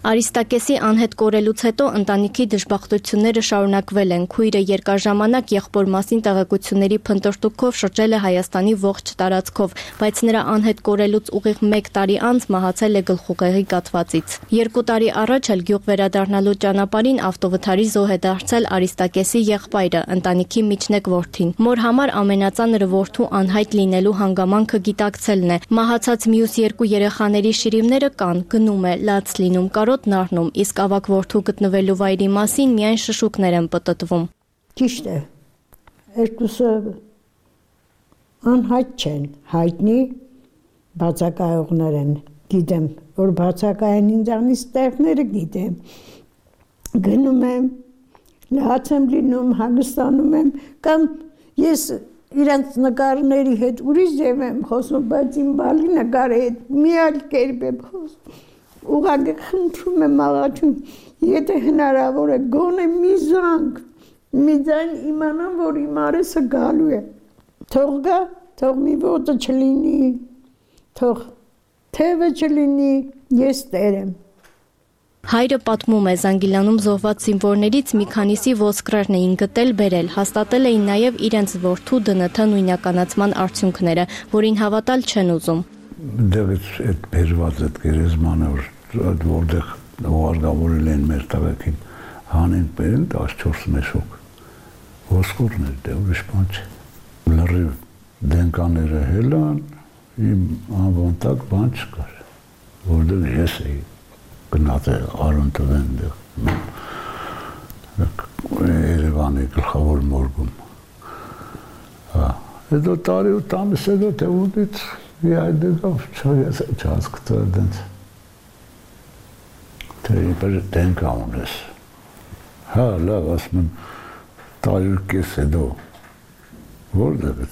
Արիստակեսի անհետ կորելուց հետո ընտանիքի դժբախտությունները շարունակվել են։ Քույրը երկար ժամանակ եղբոր մասին տեղեկությունների փնտրտուքով շրջել է Հայաստանի ողջ տարածքով, բայց նրա անհետ կորելուց ուղիղ մեկ տարի անց մահացել է գլխուղեղի կաթվածից։ Երկու տարի առաջ էլ գյուղ վերադառնալու ճանապարհին ավտովթարի զոհ է դարձել Արիստակեսի եղբայրը, ընտանիքի միջնեկ որդին։ Մոր համար ամենածանրը որդու անհայտ լինելու հանգամանքը գիտակցելն է։ Մահացած մյուս երկու երեխաների շիրիմները կան, գնում է, լաց լինում, կարոտն առնում, իսկ ավակ որդու գտնվելու վայրի մասին միայն շշուկներ են պտտվում։ Ճիշտ է, երկուսը անհայտ չեն, հայտնի բացակայողներ են, գիտեմ, որ բացակայեն ինձանից տեղները գիտեմ, գնում եմ, լաց եմ լինում, հագստանում եմ, կամ ես իրանց նկարների հետ ուրիշ ձև եմ խոսում, բայց իմ բալի նկարի հետ մի այլ կերպ եմ խոսում։ Ուղղակի խնդրում եմ աղաչում, եթե հնարավոր է գոնե մի զանգ, մի ձայն իմանամ, որ իմ արեսը գալու է։ Թող գա, թող մի ոտը չլինի, թող թևը չլինի, ես տեր եմ։ Հայրը պատմում է, Զանգիլանում զոհված զինվորներից մի քանիսի ոսկրերն էին գտել, բերել, հաստատել էին նաև իրենց որդու ԴՆԹ նույնականացման արդյունքները, որին հավատալ չեն ուզում։ Դեղից այդ բերված այդ գերեզմանը, որտեղ ուղարկավորել են մեր տղեկին, հանեն բերեն տասնչորս մեշոկ, ոսկորներ, դե ուրիշ բան չէ։ Լրիվ դենկաները հելան, իմ անվան տակ բան չկար, որտեղ ես էի գնացել Արոն տվեն Երևանի գլխավոր մորգում։ Հետո տարի ու տամիս հետո թե ուտից մի այդ դեկավ չհասկացա դենց, թե իպեր դենկա ունես։ Հա, լավ, ասում եմ, տարի ու կես հետո, որտեղ է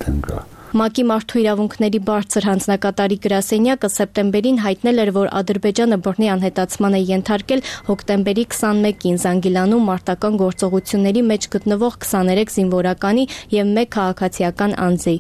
դենկա։ ՄԱԿ-ի մարդու իրավունքների բարձր հանձնակատարի գրասենյակը սեպտեմբերին հայտնել էր, որ Ադրբեջանը բռնի անհետացման է ենթարկել հոկտեմբերի քսանմեկին Զանգիլանում մարտական գործողությունների մեջ գտնվող քսաներեք զինվորականի և մեկ քաղաքացիական անձի։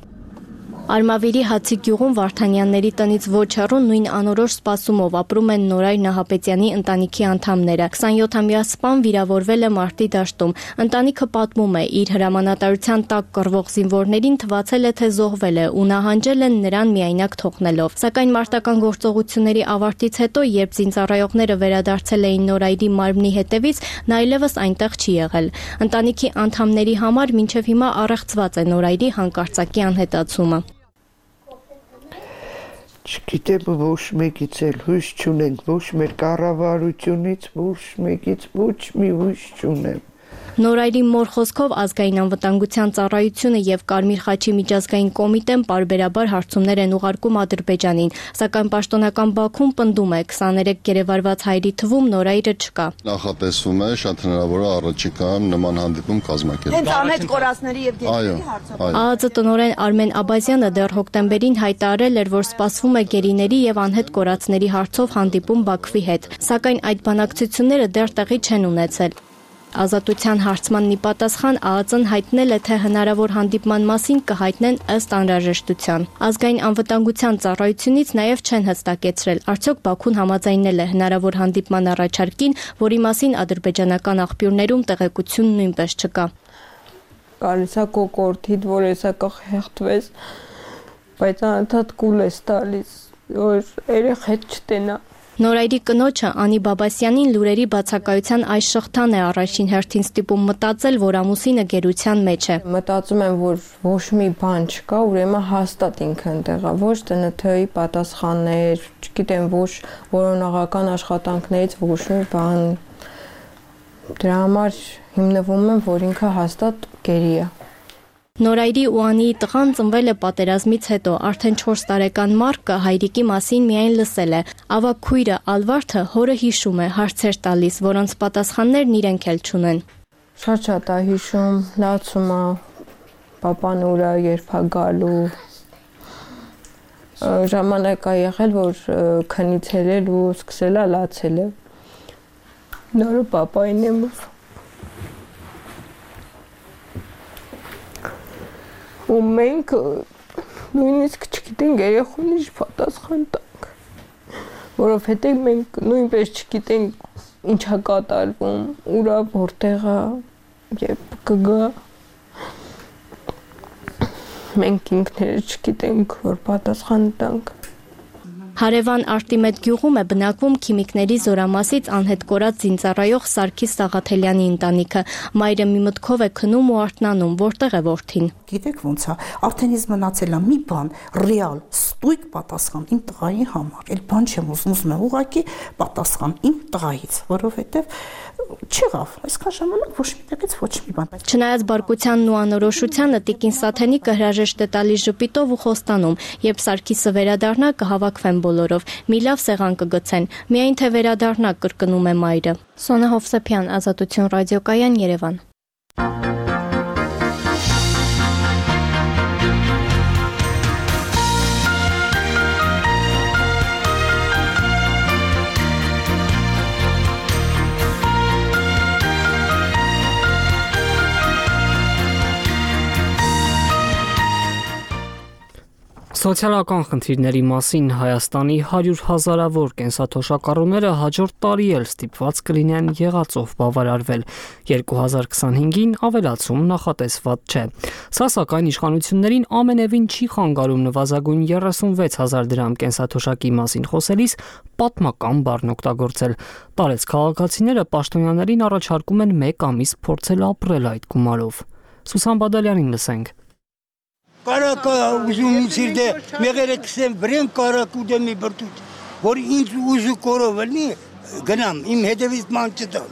Արմավիրի Հացի գյուղում Վարդանյանների տնից ոչ հեռու նույն անորոշ սպասումով ապրում են Նորայր Նահապետյանի ընտանիքի անդամները։ քսանյոթամյա սպան վիրավորվել է մարտի դաշտում։ Ընտանիքը պատմում է, իր հրամանատարության տակ կռվող զինվորներին թվացել է, թե զոհվել է ու նահանջել են նրան միայնակ թողնելով։ Սակայն մարտական գործողությունների ավարտից հետո, երբ զինծառայողները վերադարձել էին Նորայրի մարմնի հետևից, նա այլևս այնտեղ չի եղել։ Ընտանիքի անդամների համար մինչև հիմա առեղծված է Նորայրի հանկարծակի անհետացումը։ Չգիտեմ, ոչ մեկից էլ հույս չունենք, ոչ մեր կառավարությունից, ոչ մեկից ոչ մի հույս չունեմ։ Նորայրի մոր խոսքով ազգային անվտանգության ծառայությունը և Կարմիր խաչի միջազգային կոմիտեն պարբերաբար հարցումներ են ուղարկում Ադրբեջանին, սակայն պաշտոնական Բաքուն պնդում է քսաներեք գերեվարված հայերի թվում Նորայրը չկա։ Նախատեսվում է շատ հնարավոր է առաջիկայում նման հանդիպում կազմակերպել։ Հենց անհետ կորածների և գերիների հարցով։ ԱԱԾ տնօրեն Արմեն Աբազյանը դեռ հոկտեմբերին հայտարարել էր, որ սպասվում է գերիների և անհետ կորածների հարցով հանդիպում Բաքվի հետ, սակայն այդ բանակցությունները դեռ տեղի չեն ունեցել։ Ազատության հարցմանն ի պատասխան ԱԱԾ-ն հայտնել է, թե հնարավոր հանդիպման մասին կհայտնեն ըստ անհրաժեշտության։ Ազգային անվտանգության ծառայությունից նաև չեն հստակեցրել, արդյոք Բաքուն համաձայնել է հնարավոր հանդիպման առաջարկին, որի մասին ադրբեջանական աղբյուրներում տեղեկություն նույնպես չկա։ Գալիս է կոկորդիդ, որ եսա կխեղդվես, բայց անընդհատ կուլ ես տալիս, որ երեխեդ չտենա։ Նորայրի կնոջը Անի Բաբասյանին լուրերի բացակայության այս շղթան է առաջին հերթին ստիպում մտածել, որ ամուսինը գերության մեջ է։ Մտածում եմ, որ ոչ մի բան չկա, ուրեմն հաստատ ինքը ընդեղ է, ոչ Տ Ն Թ-ի պատասխաններ, չգիտեմ, ոչ որոնողական աշխատանքներից ոչ մի բան։ Դրա համար հիմնվում եմ, որ ինքը հաստատ գերի է։ Նորայրի ու Անիի տղան ծնվել է պատերազմից հետո, արդեն չորս տարեկան Մարկը հայրիկի մասին միայն լսել է։ Ավագ քույրը Ալվարդը հորը հիշում է, հարցեր տալիս, որոնց պատասխաններն իրենք էլ չունեն։ Շատ-շատ է հիշում, լացում է, պապան ուրա երբ է գալու։ Ժամանակ է եղել, որ քնից ելել ու սկսել է լացել է։ Նորը պապային եմ ու մենք նույնիսկ չգիտենք երեխուն ինչ պատասխան տանք, որովհետև մենք նույնպես չգիտենք ինչա կատարվում, ուրա որտեղ է, երբ կգա, մենք ինքներս չգիտենք, որ պատասխան տանք։ Հարևան Արտիմետ գյուղում է բնակվում քիմիկների զորամասից անհետ կորած զինծառայող Սարգիս Սաղաթելյանի ընտանիքը։ Մայրը մի մտքով է քնում ու արթնանում, որտեղ է որդին։ Գիտեք ոնց է, արդեն ինձ մնացել է մի բան, ռեալ, ստույգ պատասխան իմ տղայի համար։ Էլ բան չեմ ուզում, ուզում եմ ուղղակի պատասխան իմ տղայից, որովհետև չեղավ, այսքան ժամանակ ոչ մի տեղից ոչ մի բան։ Չնայած բարկությանն ու անորոշությանը Տիկին Սաթենիկը հրաժեշտ է տալիս ժպիտով ու խոստանում, երբ Սարգիսը վերադառնա կհավաքվեն բոլորով, մի լավ սեղան կգցեն, միայն թե վերադառնա, կրկնում է մայրը։ Սոնա Հովսեփյան, Ազատություն ռադիոկայան, Երևան։ Սոցիալական խնդիրների մասին Հայաստանի հարյուր հազարավոր կենսաթոշակառուները հաջորդ տարի էլ ստիպված կլինեն եղածով բավարարվել։ երկու հազար քսանհինգին ավելացում նախատեսված չէ։ Սա սակայն իշխանություններին ամենևին չի խանգարում նվազագույն երեսունվեց հազար դրամ կենսաթոշակի մասին խոսելիս պատմական բառն օգտագործել։ Տարեց քաղաքացիները պաշտոնյաներին առաջարկում են մեկ ամիս փորձել ապրել այդ գումարով։ Սուսան Բադալյանին լսենք։ Կարակա ուզում ինձ իրդե մեղերը կսեմ վրեն կարակ ուդեմ մի բրտուտ, որ ինձ ուզու կորով ելնի գնամ, իմ հետևից ման չտան։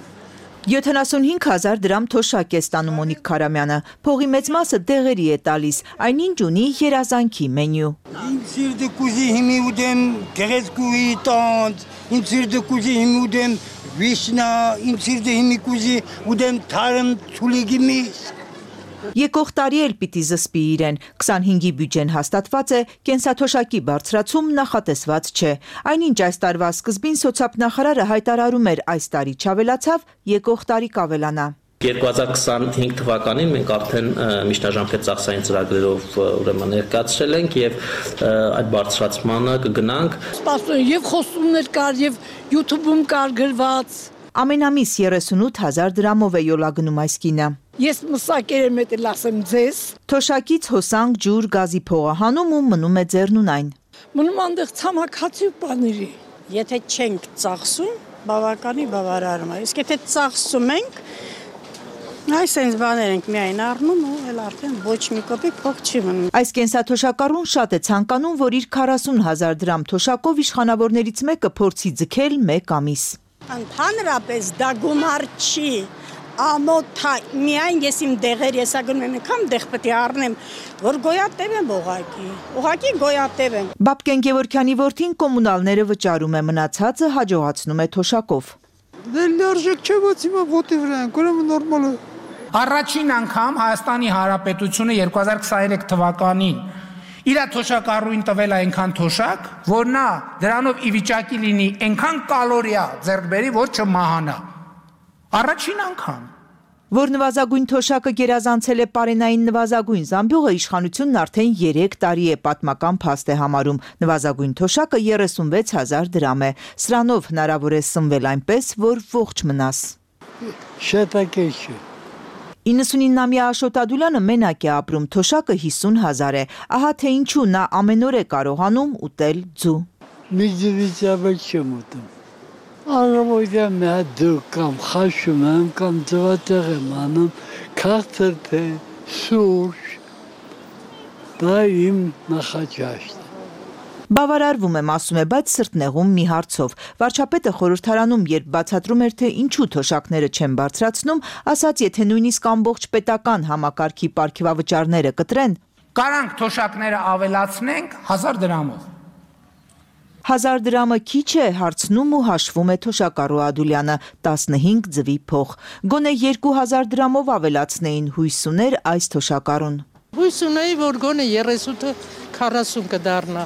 յոթանասունհինգ հազար դրամ թոշակ է ստանում Մոնիկ Քարամյանը, փողի մեծ մասը դեղերի է տալիս, այնինչ ունի երազանքի մենյու։ Ինձ իրդը կուզի հիմի ուդեմ գեղեցկուի տանց, ինձ իրդը կուզի հիմի ուդեմ վիշնա, ինձ իրդը հիմի կուզի ուդեմ թարմ ցուլիգի միս։ Եկող տարի էլ պիտի զսպի իրեն։ քսանհինգի բյուջեն հաստատված է, կենսաթոշակի բարձրացում նախատեսված չէ։ Այնինչ այս տարվա սկզբին սոցիալնախարարը հայտարարում էր այս տարի չավելացավ, եկող տարի կավելանա։ երկու հազար քսանհինգ թվականին մենք արդեն միջնաժամկետ ծախսային ծրագրերով ուրեմն ներկայացրել ենք եւ այդ բարձրացմանը կգնանք։ Սպասում եւ խոսումներ կար եւ YouTube-ում կար գրված։ Ամենամիս երեսունութ հազար դրամով է յոլագնում այս կինը։ Ես մսակեր եմ էտել ասեմ ձեզ։ Թոշակից հոսանք, ջուր, գազի փողահանում ու մնում է ձեռնունայն։ Մնում անդեղ ցամաքացի բաների։ Եթե չենք ծախսում, բավականի բավարարում է։ Իսկ եթե ծախսում ենք, այս այնց բաներ ենք միայն առնում ու էլ արդեն ոչ մի կոպեկ փող չի մնում։ Այս կենսաթոշակառուն շատ է ցանկանում, որ իր քառասուն հազար դրամ թոշակով իշխանավորներից մեկը փորձի ձգել մեկ ամիս։ Ընդհանրապես դա գումար չի, ամոթա, միայն ես իմ դեղեր եսա գնում եմ, եկամ դեղ պետք է առնեմ, որ գոյատև եմ ուղակի, ուղակի գոյատև եմ։ Բաբկեն Գևորգյանի որդին կոմունալները վճարում է, մնացածը հաջողացնում է թոշակով։ Դե լարժեք չէ, ոչ հիմա ոտի վրա են, ուրեմն նորմալ է։ Առաջին անգամ Հայաստանի Հանրապետությունը երկու հազար քսաներեք թվականին իր թոշակառուին տվել է այնքան թոշակ, որ նա դրանով ի վիճակի լինի այնքան կալորիա ձեռք բերի, որ չմահանա։ Առաջին անգամ։ Որ նվազագույն թոշակը գերազանցել է պարենային նվազագույն զամբյուղը, իշխանությունն արդեն երեք տարի է պատմական փաստ է համարում։ Նվազագույն թոշակը երեսունվեց հազար դրամ է։ Սրանով հնարավոր է սնվել այնպես, որ ողջ մնաս։ Շատակեչ է։ իննսունինամյա Աշոտ Ադուլյանը մենակ է ապրում, թոշակը հիսուն հազար է։ Ահա թե ինչու նա ամեն օր է կարողանում ուտել ձու։ Միջավիճաբը չեմ ուտում։ Առավոտյան մի հատ ձու կամ խաշում եմ, կամ ձվածեղ եմ անում, քաղցր թե սուրճ, դա իմ նախաճաշտն է։ Բավարարվում եմ, ասում է, բայց սրտնեղում մի հարցով։ Վարչապետը խորհրդարանում, երբ բացատրում էր, թե ինչու թոշակները չեն բարձրացնում, ասաց, եթե նույնիսկ ամբողջ պետական համակարգի պարգևավճարները կտրեն, կարանք թոշակները ավելացնենք հազար դրամով։ Հազար դրամը քիչ է, հարցնում ու հաշվում է թոշակառու Ադուլյանը, տասնհինգ ձվի փող։ Գոնե երկու հազար դրամով ավելացնեին, հույս ուներ այս թոշակառուն։ Հույս ունեի, որ գոնե երեսունը քառասուն կդառնա։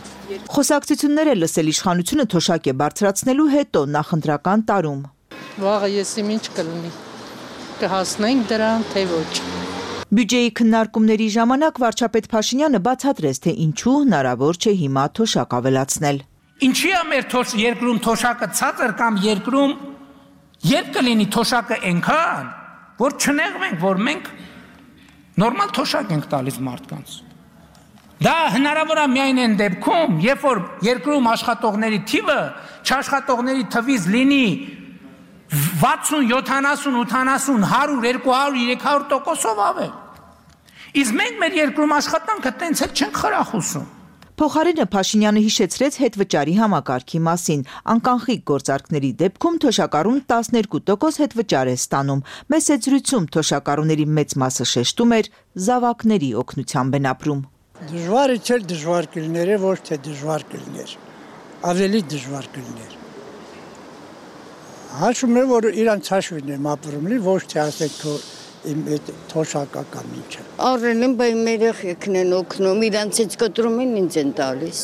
Խոսակցություններ է լսել իշխանությունը թոշակ է բարձրացնելու հետո նախընտրական տարում։ Վաղը ես իմ ինչ կլինի, կհասնենք դրան, թե ոչ։ Բյուջեի քննարկումների ժամանակ վարչապետ Փաշինյանը բացատրեց, թե ինչու հնարավոր չէ հիմա թոշակ ավելացնել։ Ինչի է մեր երկրում թոշակը ցածր կամ երկրում երբ կլինի թոշակը այնքան, որ չնեղվենք, որ մենք նորմալ թոշակ ենք տալիս մարդկանց։ Դա հնարավոր է միայն այն դեպքում, երբ որ երկրում աշխատողների թիվը չաշխատողների թվից լինի վաթսուն, յոթանասուն, ութանասուն, հարյուր, երկու հարյուր, երեք հարյուր տոկոսով ավել։ Իսկ մենք մեր երկրում աշխատանքը տենց էլ չենք խրախուսում։ Փոխարենը Փաշինյանը հիշեցրեց հետվճարի համակարգի մասին։ Անկանխիկ գործարքների դեպքում թոշակառուն տասներկու տոկոս հետվճար է ստանում։ Մեծ զրույցում թոշակառուների մեծ մասը շեշտում էր զավակների օգնությամբ են ապրում։ Դժվարը չէ, դժվար կլիներ, ոչ թե դժվար կլիներ։ Ավելի դժվար կլիներ։ Հաշվում եմ, որ իրանց հաշվին եմ ապրում, ոչ թե ասեք թո իմ այդ թոշակական ինչը։ Առել են, բայ մեր երեխեքն են օգնում, իրանցից կտրում են ինձ են տալիս։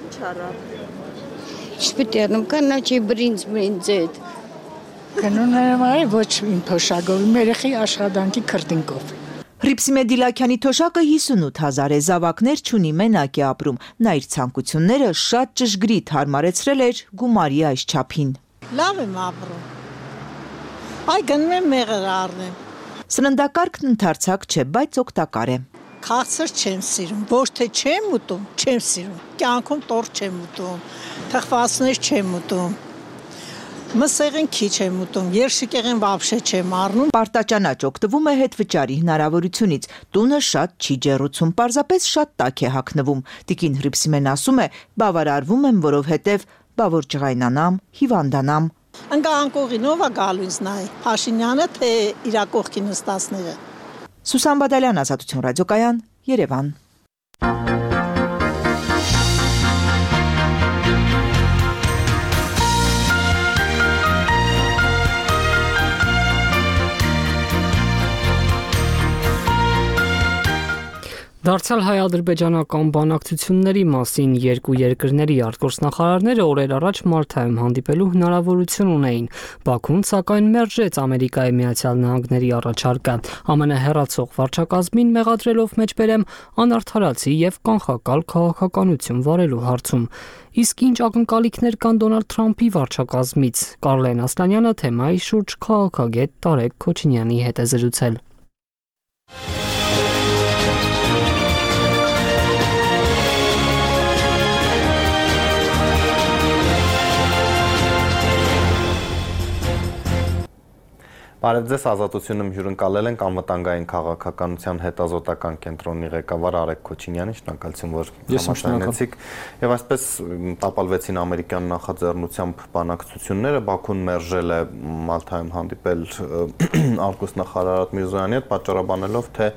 Ինչ առավ։ Ինչ պետք է առնեմ, կանաչի բրինձ բրինձ այդ։ Գնում եմ այ ոչ իմ թոշակով, իմ երեխի աշխատանքի քրտինկով։ Հռիփսիմե Դիլաքյանի թոշակը հիսունութ հազար է, զավակներ չունի, մենակ է ապրում։ Նա իր ցանկությունները շատ ճշգրիտ հարմարեցրել էր գումարի այս չափին։ Լավ եմ ապրում։ Այ գնում եմ մեղր առնեմ։ Սննդակարգն ընդարձակ չէ, բայց օգտակար է։ Քաղցր չեմ սիրում, ոչ թե չեմ ուտում, չեմ սիրում։ Կյանքում տորտ չեմ ուտում, թխվածներ չեմ ուտում։ Մսեղեն քիչ եմ ուտում, երշիկեղեն վաբշե չեմ առնում։ Պարտաճանաչ օգտվում է հետվճարի հնարավորությունից։ Տունը շատ չի ջեռուցում, պարզապես շատ տաք է հագնվում։ Տիկին Հռիփսիմեն ասում է, բավարարվում եմ, որովհետև բա որ ջղայնանամ, հիվանդանամ։ Ընկա անկողին ով է գալու ինձ նայ, Փաշինյանը թե իր կողքի նստածները։ Սուսան Բադալյան, Ազատություն ռադիոկայան, Երևան։ Դարձյալ հայ-ադրբեջանական բանակցությունների մասին երկու երկրների արտգործնախարարները օրեր առաջ Մալթայում հանդիպելու հնարավորություն ունեին։ Բաքուն սակայն մերժեց Ամերիկայի Միացյալ Նահանգների առաջարկը, ԱՄՆ հեռացող վարչակազմին մեղադրելով մեջբերեմ անարդարացի եւ կանխակալ քաղաքականություն վարելու հարցում։ Իսկ ինչ ակնկալիքներ կան Դոնալդ Թրամփի վարչակազմից, Կարլեն Ասլանյանը թեմայի շուրջ քաղաքագետ Տարեկ Քոչինյանի հետ է զրուցել։ Բարև ձեզ, Ազատությունում հյուրընկալել ենք անվտանգային քաղաքականության հետազոտական կենտրոնի ղեկավար Արեգ Քոչինյանին, շնորհակալություն, որ համաձայնեցիք։ Եվ այսպես տապալվեցին ամերիկյան նախաձեռնությամբ բանակցությունները, Բաքուն մերժել է Մալթայում հանդիպել արտգործնախարար Միրզոյանի հետ, պատճառաբանելով, թե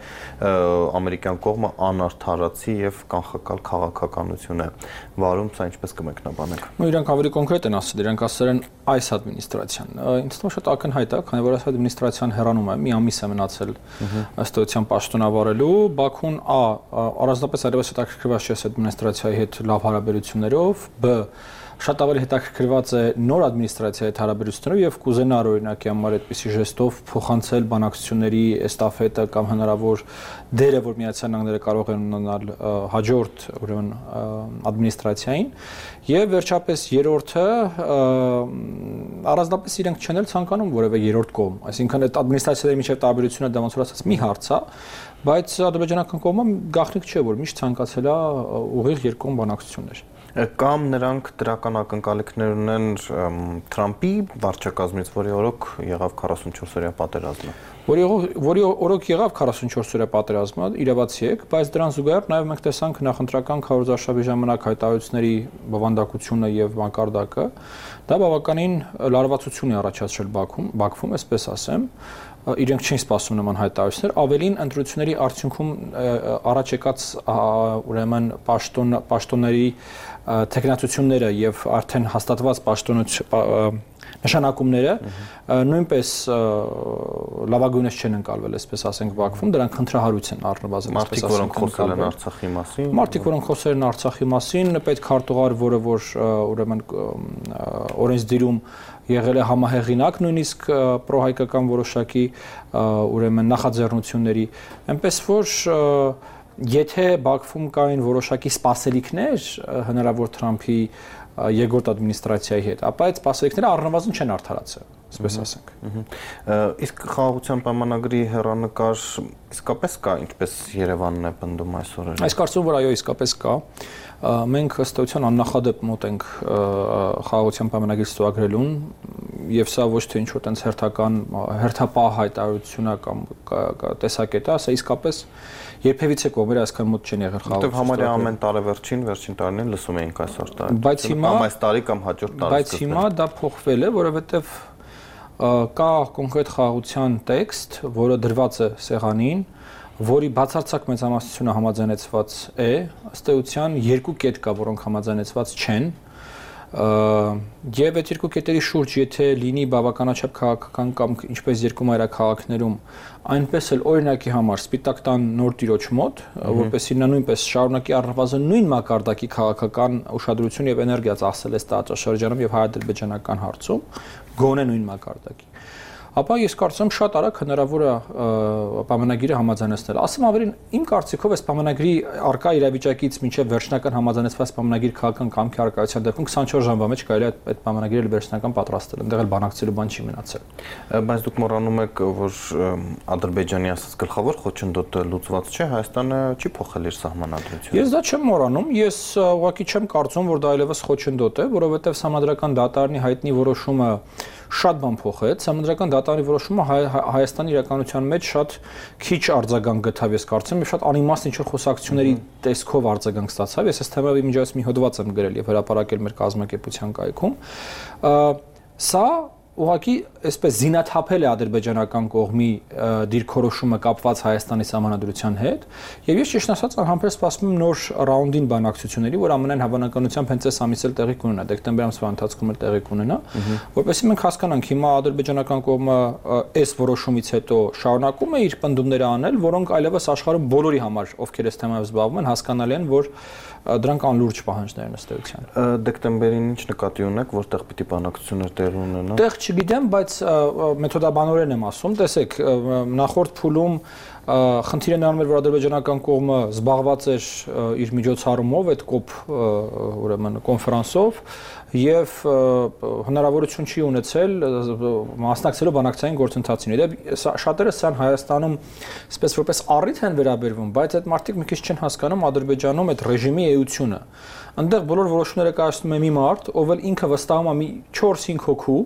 ամերիկյան կողմը անարդարացի եւ կանխակալ քաղաքականություն է վարում, սա ինչպես կմեկնաբանեք։ Իրանք ավելի կոնկրետ են ասել, իրանք ասել են այս ադմինիստրացիան։ Ինձ թվում է շատ ակնհայտ է, քանի որ այս ադմինիստրացիան հեռանում է, մի ամիս է մնացել ըստ էության պաշտոնավարելու, Բաքուն ա առանձնապես այլևս հետաքրքրված չէ այս ադմինիստրացիայի հետ լավ հարաբերություններով, բ շատ ավելի հետաքրքրված է նոր ադմինիստրացիայի հետ հարաբերություններով եւ կուզենա օրինակի համար այդպիսի ժեստով փոխանցել բանակցությունների էստաֆետը կամ հնարավոր դերը, որ Միացյալ Նահանգները կարող են ունենալ հաջորդ ուրեմն ադմինիստրացիային եւ վերջապես երրորդը առանձնապես իրենք չեն էլ ցանկանում որևէ երրորդ կողմ, այսինքն այդ ադմինիստրացիաների միջև տարբերությունը դա ոնց որ ասած մի հարց է, բայց ադրբեջանական կողմը գաղտնիք չէ, որ միշտ ցանկացել է ուղիղ երկկողմ բանակցություններ։ Կամ նրանք դրական ակնկալիքներ ունեն Թրամփի վարչակազմից, որի օրոք եղավ քառասունչորս-օրյա պատերազմը։ Որի որի օրոք եղավ քառասունչորս-օրյա պատերազմը, իրավացի եք, բայց դրան զուգահեռ նաև մենք տեսանք նախընտրական քարոզարշավի ժամանակ հայտարարությունների բովանդակությունը եւ մակարդակը, դա բավականին լարվածություն է առաջացրել Բաքվում, Բաքվում, այսպես ասեմ, իրենք չեն սպասում նման հայտարարություններ, ավելին ընտրությունների արդյունքում առաջ եկած ուրեմն պաշտոն պաշտոնների տեխնացությունները եւ արդեն հաստատված պաշտոնոց նշանակումները նույնպես լավագույնս չեն ընկալվել, այսպես ասենք Բաքվում, դրանք խնդրահարույց են առնվազն, այսպես ասենք, խոսել են Արցախի մասին։ Մարդիկ, որոնք խոսել են Արցախի մասին, պետք հարտուղար, որը որ ուրեմն օրենսդիրում եղել է համահեղինակ նույնիսկ պրոհայկական որոշակի ուրեմն նախաձեռնությունների, այնպես որ եթե Բաքվում կային որոշակի սպասելիքներ հնարավոր Թրամփի երկրորդ ադմինիստրացիայի հետ, ապա այդ սպասելիքները առնվազն չեն արդարացել, այսպես ասենք։ Իսկ խաղաղության պայմանագրի հեռանկար իսկապես կա, ինչպես Երևանն է պնդում այս օրերին։ Այս կարծում որ այո, իսկապես կա։ Մենք ըստ էության աննախադեպ մոտ ենք խաղաղության պայմանագրի ստորագրելուն եւ սա ոչ թե ինչ-որ տենց հերթական հերթապահ հայտարարություն է կամ տեսակետ է, սա իսկապես երբևիցե կողմերը այսքան մոտ չեն եղել խաղաղություն։ Որտեւ համարյա ամեն տարեվերջին, վերջին տարիներին լսում էինք այս արտահայտությունը։ Բայց հիմա այս տարի կամ հաջորդ տարի։ Բայց հիմա դա փոխվել է, որովհետեւ կա կոնկրետ խաղաղության տեքստ, որը դրված է սեղանին, որի բացարձակ մեծամասնությունը համաձայնեցված է, ըստ էության երկու կետ կա, որոնք համաձայնեցված չեն, եւ այդ երկու կետերի շուրջ եթե լինի բավականաչափ քաղաքական կամ ինչպես երկու մայրաքաղաքներում, այնպես էլ օրինակի համար Սպիտակ տան նոր տիրոջ մոտ, որպեսզի նա նույնպես շարունակի առնվազն նույն մակարդակի քաղաքական ուշադրություն եւ էներգիա ծախսել այս տարածաշրջանում եւ հայ-ադրբեջանական հարցում, գոնե նույն մակարդակի։ Ապա ես կարծում եմ շատ արագ հնարավոր է պայմանագիրը համաձայնեցնել։ Ասեմ ավելին, իմ կարծիքով այս պայմանագրի արկա իրավիճակից մինչև վերջնական համաձայնեցված պայմանագիր քաղաքական կամքի արկայության դեպքում քսանչորս ժամվա մեջ կարելի է այդ պայմանագիրը վերջնական պատրաստել, այնտեղ էլ բանակցելու բան չի մնացել։ Բայց դուք մոռանում եք, որ Ադրբեջանի ասած գլխավոր խոչընդոտը լուծված չէ, Հայաստանը չի փոխել իր սահմանադրությունը։ Ես դա չեմ մոռանում, ես ուղղակի չեմ կարծում, որ դա այլևս խոչընդոտ է, որովհետև Սահմանադրական դատարանի հայտնի որոշումը շատ բան փոխեց, Սահմանադրական դատարանի որոշումը Հայաստանի իրականության մեջ շատ քիչ արձագանք գտավ, ես կարծում եմ, շատ անիմաստ ինչ-որ խոսակցությունների տեսքով արձագանք ստացավ։ Ես այս թեմայի միջոցով մի հոդված եմ գրել եւ հրապարակել մեր կազմակերպության կայքում։ Սա ուղղակի այսպես զինաթափել է ադրբեջանական կողմի դիրքորոշումը կապված Հայաստանի սահմանադրության հետ, եւ ես ճիշտ ասած անհամբեր սպասում եմ նոր ռաունդին բանակցությունների, որ ամենայն հավանականությամբ հենց այս ամիսել տեղի կունենա, դեկտեմբեր ամսվա ընթացքում էլ տեղի կունենա, որովհետեւ մենք հասկանանք հիմա ադրբեջանական կողմը այս որոշումից հետո շարունակում է իր պնդումները անել, որոնք այլևս աշխարհում բոլորի համար, ովքեր այս թեմայով զբաղվում են, հասկանալի են, որ դրանք անլուրջ պահանջներ են ըստ էության։ Դեկտեմբերին ինչ նկատի ունեք, որտեղ պիտի բանակցություններ տեղի ունենան։ Տեղ չգիտեմ, բայց մեթոդաբանորեն եմ ասում, տեսեք, նախորդ փուլում խնդիրը նրանում էր, որ ադրբեջանական կողմը զբաղված էր իր միջոցառումով, այդ կոպ ուրեմն կոնֆերանսով եւ հնարավորություն չի ունեցել մասնակցելու բանակցային գործընթացին։ Դե շատերը սան Հայաստանում այսպես որպես առիթ են վերաբերվում, բայց այդ մարդիկ մի քիչ չեն հասկանում Ադրբեջանում այդ ռեժիմի էությունը։ Այնտեղ բոլոր որոշումները կայացնում է մի մարդ, ով էլ ինքը վստահում է մի չորս-հինգ հոգու,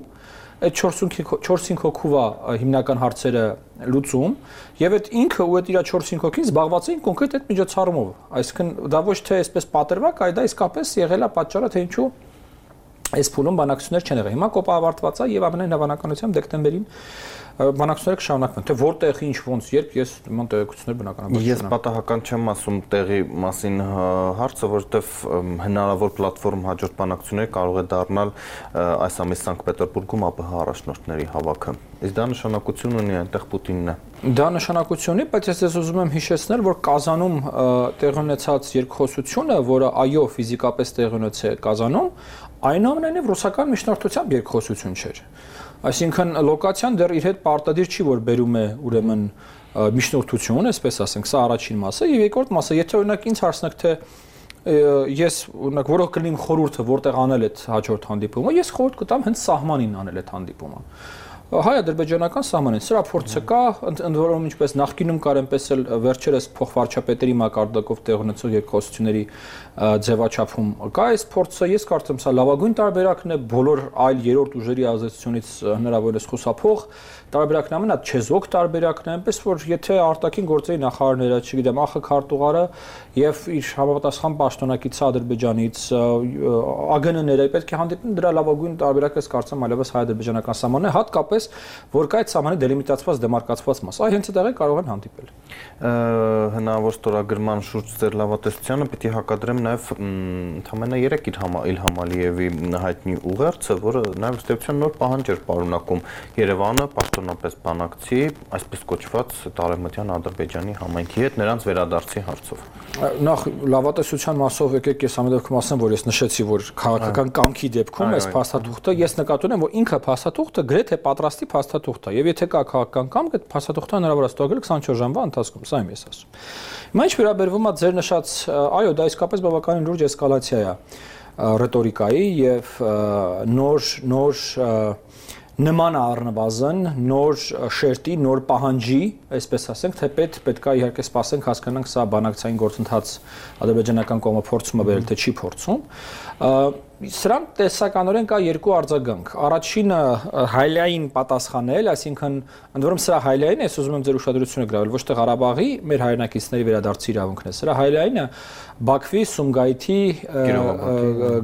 այդ չորս-հինգ հոգու է հիմնական հարցերը լուծում եւ այդ ինքը ու այդ իր չորս-հինգ հոգին զբաղված էին կոնկրետ այդ միջոցառումով։ Այսինքն դա ոչ թե այսպես պատրվակ, այլ դա իսկապես եղել է պատճառը, թե ինչու այս փուլում բանակցություններ չեն եղել։ Հիմա կոպը ավարտված է եւ ամենայն հավանականությամբ դեկտեմբերին բանակցությունները կշարունակվեն, թե որտեղ ինչ ոնց երբ ես նման տեղեկություններ բնականաբար ես պատահական չեմ ասում տեղի մասին հարցը, որովհետեւ հնարավոր պլատֆորմ հաջորդ բանակցություններ կարող է դառնալ այս ամիս Սանկտ Պետերբուրգում ԱՊՀ առաջնորդների հավաքը։ Իսկ դա նշանակություն ունի այնտեղ Պուտինն է։ Դա նշանակություն ունի, բայց ես ես ուզում եմ հիշեցնել, որ Կազանում տեղի ունեցած երկխոսությունը, որը այո ֆիզիկապես տեղի ունեցել Կազանում, այնուամենայնիվ ռուսական միջնորդությամբ երկխոսություն չէր։ Այսինքն լոկացիան դեռ իր հետ պարտադիր չի, որ բերում է ուրեմն միջնորդություն, այսպես ասենք, սա առաջին մասը, եւ երկրորդ մասը, եթե օրինակ ինձ հարցնեք, թե ես օրինակ որով կլինի խորհուրդը, որտեղ անել այդ հաջորդ հանդիպումը, ես խորհուրդ կտամ հենց սահմանին անել այդ հանդիպումը։ Հայ-ադրբեջանական սահմանին սրա փորձը կա, ընդ որում ինչպես նախկինում կար, այնպես էլ վերջերս փոխվարչապետերի մակարդակով տեղ ունեցող երկխոսությունների ձևաչափում կա այս փորձը, ես կարծում եմ սա լավագույն տարբերակն է բոլոր այլ երրորդ ուժերի ազդեցությունից հնարավորինս խուսափող տարբերակն ամենա չեզոք տարբերակն է, այնպես որ եթե արտաքին գործերի նախարարները, չգիտեմ, ԱԽ քարտուղարը եւ իր համապատասխան պաշտոնակիցը Ադրբեջանից ԱԳՆ-ները պետք է հանդիպեն, դրա լավագույն տարբերակը ես կարծում եմ այլևս հայ-ադրբեջանական սահմանն է, հատկապես որ կա այդ սահմանի դելիմիտացված դեմարկացված մաս, այ հենց այդտեղ կարող են հանդիպել։ Հնարավոր ստորագրման շուրջ ձեր լավատեսությանը պիտի հակադրեմ նաեւ ընդամենը երեք Իլհամ Ալիևի հայտնի ուղերձը, որը նաեւ ըստ էության նոր պահանջ էր պարունակում Երևանը պաշտոնապես բանակցի, այսպես կոչված Տարեմտյան Ադրբեջանի համայնքի հետ նրանց վերադարձի հարցով։ Նախ լավատեսության մասով եկեք ես ամենևքում ասեմ, որ ես նշեցի, որ քաղաքական կամքի դեպքում այս փաստաթուղթը ես նկատի ունեմ, որ ինքը փաստաթուղթը գրեթե պատրաստի փաստաթուղթ է, եւ եթե կա քաղաքական կամք, այդ փաստաթուղթը հնարավոր է ստորագրել քսանչորս ժամվա ընթացքում, սա եմ ես ասում։ Հիմա ինչ վերաբերվում է ձեր նշած, այո, դա իսկապես բավականին լուրջ էսկալացիա է ռետորիկայի եւ նոր նոր նման առնվազն նոր շերտի, նոր պահանջի, այսպես ասենք, թե պետք պետքա իհարկե սպասենք, հասկանանք սա բանակցային գործընթաց ադրբեջանական կողմը փորձում է բերել, թե չի փորձում։ Սրան տեսականորեն կա երկու արձագանք։ Առաջինը հայլային պատասխանել, այսինքն ընդ որում սրա հայլային ես ուզում եմ ձեր ուշադրությունը գրավել, ոչ թե Ղարաբաղի մեր հայրենակիցների վերադարձի իրավունքն է։ Սրա հայլայինը Բաքվի, Սումգայիթի,